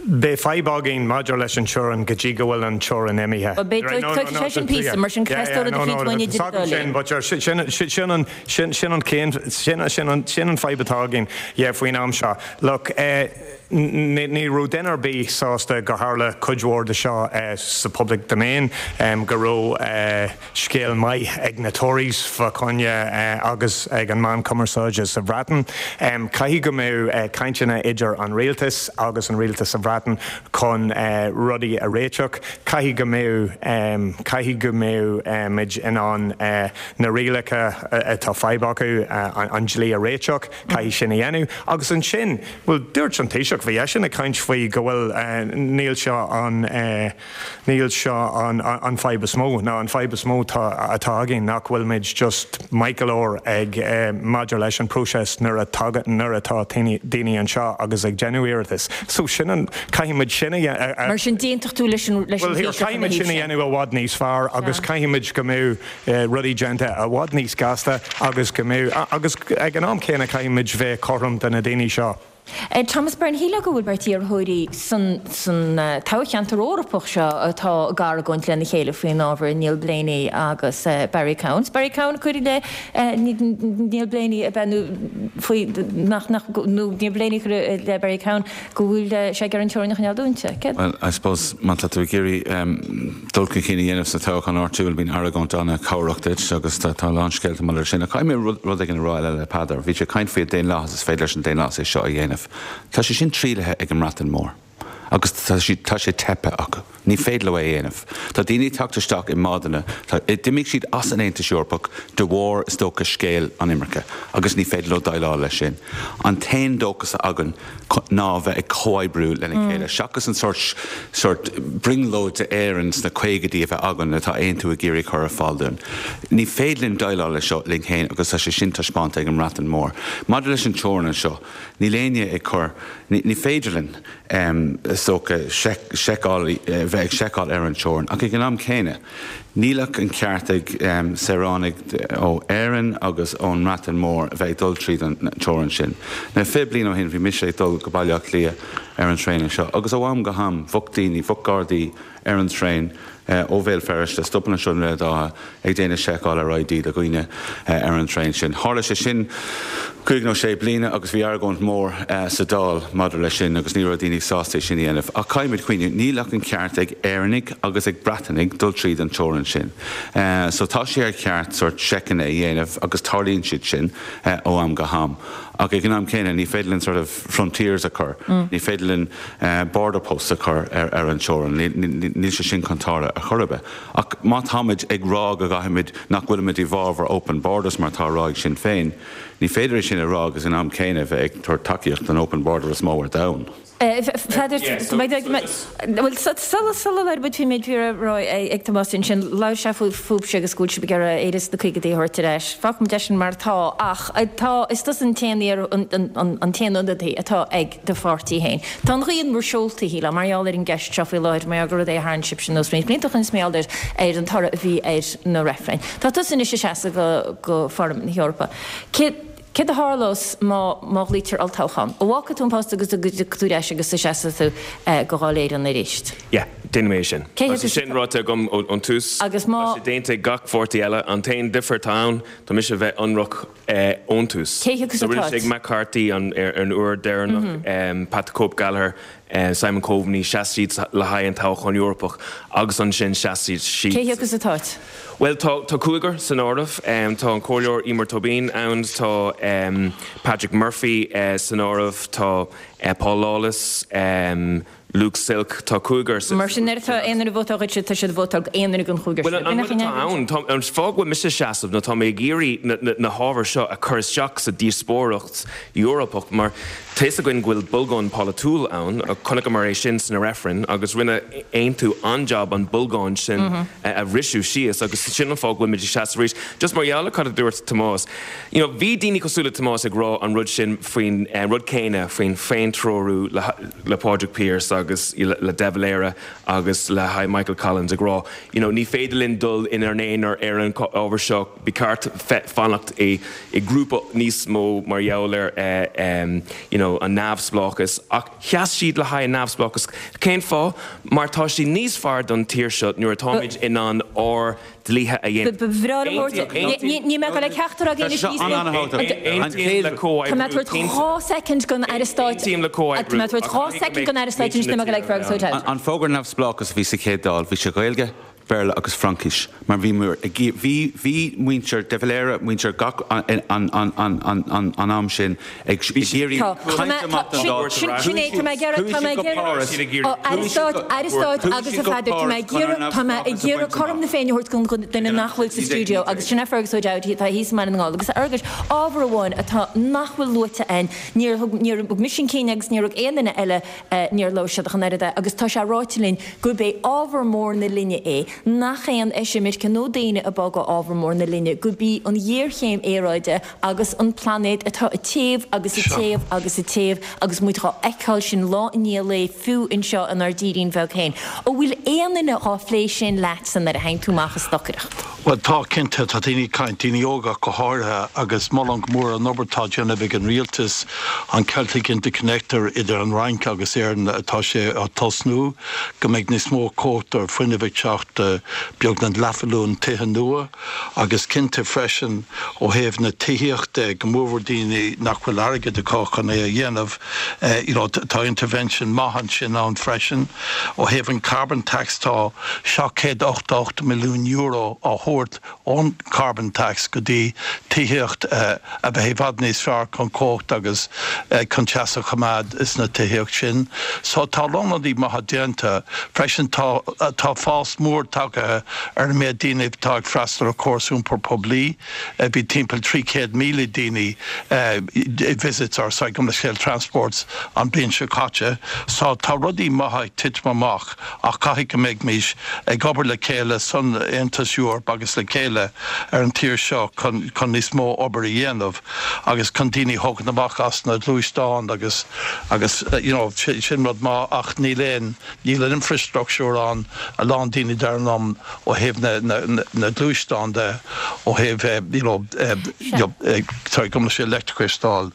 Beidh fadhb againn maidir leis an teorainn go dtí go bhfuil an teorainn imithe. Bhuel, beidh toighte sé sin píosa, mar sin caithfidh tú rud eicínt uainn idir an dá linn. But sin sin an sin sin an cén sin sin an sin an fadhb atá againn yeah faoin am seo. Look, ní ní raibh duine ar bith sásta go tharla cuid mhór de seo sa public domain, go raibh scéal maith ag na Tories fá choinne agus ag an meán cumarsáide sa Bhreatain. Caithfidh go mbeadh cainteanna idir an rialtas agus an rialtas sa Bhreatain chun rudaí a réiteach. Caithfidh go mbeadh caithfidh go mbeadh muid in ann na rialacha atá fadhb acu, an dlí a réiteach, caithfidh sin a dhéanamh. Agus ansin, bhuel, dúirt an Taoiseach, bhí eisean ag caint faoi go bhfuil níl seo an níl seo an an fadhb is mó, ná an fadhb is mó tá atá againn nach bhfuil muid just maith go leor ag maidir leis an próiseas nuair a tagann nuair atá daoine anseo agus ag déanamh iarratas. So sin an caithfidh muid sin a a Mar sin d'aontódh tú leis an leis an Bhuel Taoiseach caithfidh ina muid thaobh sin a sin. dhéanamh i bhfad níos fearr agus caithfidh muid go mbeadh rudaí déanta i bhfad níos gasta agus go mbeadh agus ag an am céanna caithfidh muid bheith cothrom do na daoine seo. Thomas Byrne, shílfeá go bhfuil beirt iarrthóirí san san toghcheantar Eorpach seo atá ag argóint lena chéile faoin ábhar, Neil Blaney agus Barry Cowen. Barry Cowen ag cur i leith Neil Blaney ab ea nó faoi nach nach nó Neil Blaney ag cur i leith Barry Cowen go bhfuil sé ag iarraidh an teorainn a choinneáil dúnta. Céard? Well, I suppose má tá tú ag iarraidh dul chun cinn a dhéanamh sa toghchán áitiúil bíonn argóint an-chabhrach duit agus tá tá a lán scéalta maidir leis sin. Ach caithfidh mé rud rud éigin a rá eile le Peadar. Bhí sé ag caint faoi an daonlathas is féidir leis an daonlathas é seo a dhéanamh. Tá sé sin trialaithe ag an mBreatain Mhór agus tá sé tá sé teipthe acu. Ní féidir leo é a dhéanamh. Tá daoine ag teacht isteach i mbádanna, tá d'imigh siad as an Aontas Eorpach de bharr is dócha scéal an imirce agus ní féidir leo déileáil leis sin. An t-aon dóchas a againn ná a bheith ag comhoibriú lena chéile seachas an sórt sórt brionglóid d'Éirinn sna caogaidí a bheith againn atá Aontú ag iarraidh cur ar fáil dúinn. Ní féidir linn déileáil leis seo linn féin agus tá sé sin taispeánta ag an mBreatain Mhór. Maidir leis an teorainn anseo, níl éinne ag cur, ní ní féidir linn is dócha seiceáil bheith ag seiceáil ar an teorainn ach ag an am céanna níl ach an ceart ag saoránaigh ó Éirinn agus ón mBreatain Mhór a bheith ag dul tríd an teorainn sin. Now fiche bliain ó shin bhí mise ag dul go Baile Átha Cliath ar an traein anseo agus ó am go ham bheadh daoine, bheadh gardaí ar an traein ó Bhéal Feirste, stopann anseo i nDroichead Átha ag déanamh seiceáil ar I D do dhaoine ar an traein sin. Tharla sé sin cúig nó sé bliana agus bhí argóint mhór sa Dáil maidir leis sin agus ní raibh daoine sásta é sin a dhéanamh. Ach caithfimid cuimhneamh, níl ach an ceart ag Éireannaigh agus ag Breatanaigh dul tríd an teorainn sin. So tá sé ar cheart sórt seiceanna a dhéanamh agus tarlaíonn siad sin ó am go ham. Ach ag an am céanna ní féidir linn sort of frontiers a chur, ní féidir linn border posts a chur ar ar an teorainn, níl sé sin chun tarlú ar chor ar bith. Ach má táimid ag rá go gcaithfimid nach bhfuilimid i bhfabhar open borders mar atá á rá ag Sinn Féin, ní féidir é sin a rá agus an am céanna bheith ag tabhairt tacaíocht don open border is mó ar domhan. Pheadair, bhuel, sula sula labhair muid faoin méid a bhí á rá ag Tomás ansin, labhair sé fúibhse agus go bhfuil sibh ag iarraidh Éire sna caogaidí a thabhairt ar ais. Fágfaimid é sin mar atá, ach tá, is tusa an t-aon an t-aon ionadaí atá ag do pháirtí féin. Tá an ghaoth in bhur seoltaí, shílfeá, mar gheall ar an gceist seo faoi láthair, mar gheall gur rud é a tharraing sibhse anuas roinnt blianta ó shin is mar gheall ar an toradh a bhí ar na reifrinn. Tá tusa anois ag seasamh go go Pharlaimint na hEorpa. Cé Céard a tharlós má má ghlaoitear olltoghchán? An bhfágfaidh tú an post agus go dtiocfaidh tú ar ais agus seasfaidh tú do Dháil Éireann arís? Yeah, déanfaidh mé é sin. Cé Tá sé sin ráite agam ón tús. Agus má. Tá sé déanta ag gach pháirtí eile. An t-aon difear atá ann, tá mise a bheith ionraic ón tús. Cé thiocfas So rinne atá? sé ag McCarthy an ar an uair deireanach, Pat the Cope Gallagher, Simon Coveney, sheas siad le haghaidh an toghchán Eorpach agus ansin sheas siad. Cé thiocfas atá? Bhuel, tá tá cúigear san áireamh. Tá an Comhairleoir Eimear Tobin ann, tá Patrick Murphy san áireamh, tá Paul Lawless, Luke Silk, tá cúigear Mar sin nuair atá aon duine ag vótáil dhuitse, tá siad ag vótáil aon duine den chúigear Bhuel, sin. an rud atá ann, tá an fáth go bhfuil mise ag seasamh ná tá mé ag iarraidh na na na hábhair seo a chur isteach sa díospóireacht Eorpach mar tá fhios againn go bhfuil bolgán polaitiúil ann, chonaiceamar é sin sna reifrinn agus rinne Aontú an-jab an bolgán sin a bhriseadh síos agus sin an fáth go bhfuil muid ag seasamh arís. Just mar gheall ar cad a dúirt Tomás, you know, bhí daoine cosúil le Tomás ag rá an rud sin faoin rud céanna faoin féintreorú le le Pádraig Pearse agus le De Valera agus le haghaidh Michael Collins ag rá, you know, ní féidir linn dul inár n-aonar ar an ábhar seo, ba cheart fanacht i i grúpa níos mó mar gheall ar you know, an neamhspleáchas ach sheas siad le haghaidh an neamhspleáchas. Cén fáth? Mar tá sé níos fearr don tír seo nuair atáimid in ann ár dlíthe a dhéanamh. Ba bhreá liom thabhairt, ní mé go le ceachtar againn anois níos mó. Aontaím le Tá mé tabhairt dhá soicind don Aire Stáit. Aontaím le Tá mé tabhairt dhá soicind don Aire Stáit anois níl mé go le Fergus O'Dowd. An fógra neamhspleáchas a bhí sa chéad Dáil, bhí sé Gaeilge, Béarla agus Fraincis, mar bhí bhí bhí muintir De Valera, muintir gach an an an an an an an am sin ag iarraidh caint amach don Dáil. Sin é, tá mé ag iarraidh, tá mé ag iarraidh, Aire Stáit, Aire Stáit agus a Pheadair, tá mé ag iarraidh, tá mé ag iarraidh cothrom na Féinne a thabhairt don duine nach bhfuil sa stiúideo agus sin é Fergus O'Dowd, atá thíos i mBaile na nGall. Agus a Fhearghuis, ábhar amháin atá nach bhfuil luaite againn, níor thug, níor thug mise an cinn agus níor thug aon duine eile, níor labhair siad ach an oiread é agus tá sé ráite linn gurb é ábhar mór na linne é, nach aon eisimirce nó daoine ag bogadh ábhar mór na linne, gurb í an ghéarchéim aeráide agus an plainéad atá ag téamh agus ag téamh agus ag téamh agus muid dhá fheiceáil sin lá i ndiaidh lae fiú anseo inár dtírín bheag féin. An bhfuil aon duine dhá phlé sin leatsa nuair a théann tú amach ag stocaireacht? Bhuel, tá, cinnte, tá daoine ag caint, daoine óga go háirithe, agus molaim go mór an obair atá á déanamh ag an rialtas, an Celtic Interconnector idir an Fhrainc agus Éirinn atá sé á tosnú, go mbeidh níos mó cumhacht ar fuinneamh ag teacht beagnach leathmhilliún tithe nua, agus cinnte freisin ó thaobh na tithíochta, go mórmhór daoine nach bhfuil airgead acu chun é a dhéanamh, you know, tá intervention maith ansin ann freisin. Ó thaobh an carbon tax, tá seacht chéad ochtó ocht milliún euro á thabhairt ón carbon tax go dtí tithíocht a bheith i bhfad níos fearr chun cumhacht agus chun teas a choimeád sna tithíocht sin. So tá a lán rudaí maithe déanta. Freisin tá tá fás mór tagtha ar an méid daoine atá ag freastal ar chóras iompair poiblí. Bhí timpeall trí chéad míle daoine visits or sorry gabh mo leithscéal transports an bhliain seo caite. So tá rudaí maithe ag titim amach ach caithfidh go mbeimís ag obair le chéile san Aontas Eorpach agus le chéile ar an tír seo chun chun níos mó obair a dhéanamh agus chun daoine a thógaint amach as na gluaisteáin agus agus you know sin rud maith ach níl aon níl an infrastructure ann a lán daoine dar liom ó thaobh na na na gluaisteán de ó thaobh you know you know sorry gabh mo leithscéal leictreachais a fháil.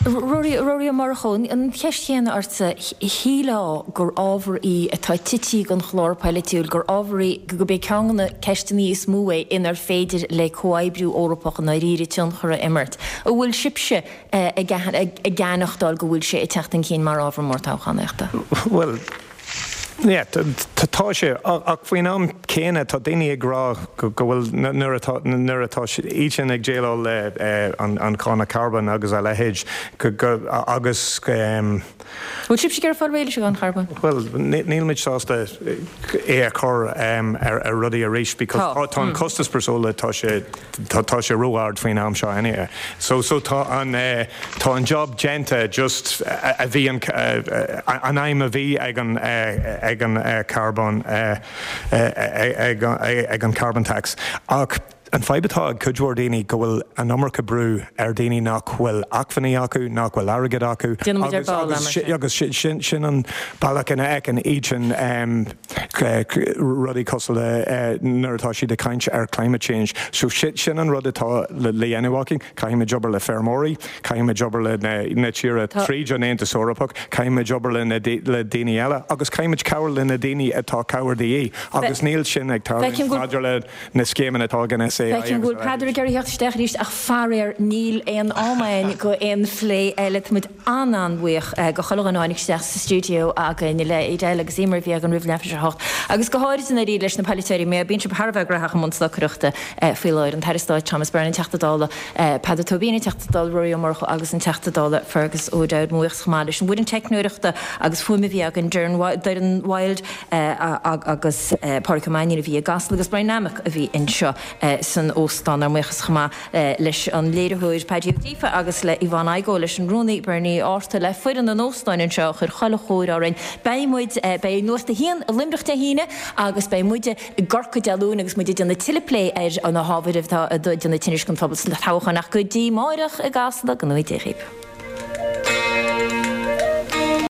Ruairí Ó Murchú, an cheist chéanna ortsa, shílfeá gur ábhar í atá tite den chlár polaitiúil, gur ábhar í gurb é ceann de na ceisteanna is mó é inar féidir le comhoibriú Eorpach i ndáiríre tionchar a imirt. An bhfuil sibhse ag aithneachtáil go bhfuil sé ag teacht chun cinn mar ábhar mór toghchánaíochta? Bhuel, yeah, tá sé, ach faoin am céanna tá daoine ag rá go bhfuil nuair atá nuair atá iad sin ag déileáil le an cáin carbóin agus a leithéid agus. Bhfuil sibhse ag iarraidh fáil réidh leis an gcáin charbóin? Bhuel, níl muid sásta é a chur ar rudaí arís because tá an costas breosla tá sé tá sé ró-ard faoin am seo anyway. So so tá an tá an job déanta just a bhí an an aidhm a bhí ag an ag an carbón ag an carbon tax. Ach An fadhb atá ag cuid mhór daoine go bhfuil an iomarca brú ar daoine nach bhfuil acmhainní acu, nach bhfuil airgead acu agus sin sin an bealach ina fheiceann iad sin rudaí cosúil le nuair atá siad ag caint ar climate change. So sin an rud atá le dhéanamh againn, caithfimid obair le feirmeoirí, caithfimid obair le na tíortha tríd an Aontas Eorpach, caithfimid obair le le daoine eile agus caithfimid cabhair le na daoine atá cabhair de dhíth agus níl sin ag tarlúint maidir le na scéimeanna atá ag an S A I. Feicim go bhfuil Peadar ag iarraidh theacht isteach arís ach faraor níl aon am againn go aon phlé eile. Tá muid an-an-bhuíoch go chuile dhuine a tháinig isteach sa stiúideo againn le Edel agus Emer a bhí againn roimh leathuair tar éis a hocht agus go háirid i ndáiríre leis na polaiteoirí mé bíonn sibh thar a bheith graitheach i mbun stocaireachta faoi láthair, an tAire Stáit Thomas Byrne, an Teachta Dála Peadar Tóibín, an Teachta Dála Ruairí Ó Murchú agus an Teachta Dála Fergus O'Dowd. Mo bhuíochas chomh maith leis an bhfoireann teicneoireachta agus fuaime a bhí againn, Doireann Wilde agus Pádraig Ó Mainnín a bhí i gCasla agus Brian Nammock a bhí anseo san óstán. Ár mbuíochas chomh maith leis an léiritheoir Paddy Ó Díofa agus le Yvonne Igoe, leis an rúnaí Bernie Arthur, le foireann an óstáin anseo a chuir chuile chóir orainn. Beidh muid, beidh Nuacht a hAon i Luimneach Dé hAoine agus beidh muide i gCorcaigh Dé Luain agus muid ag déanamh tuilleadh plé ar na hábhair atá ag déanamh tinnis don phobal sna toghcháin. Ach go dtí amáireach i gCasla, go ngnóthaí Dé dhaoibh.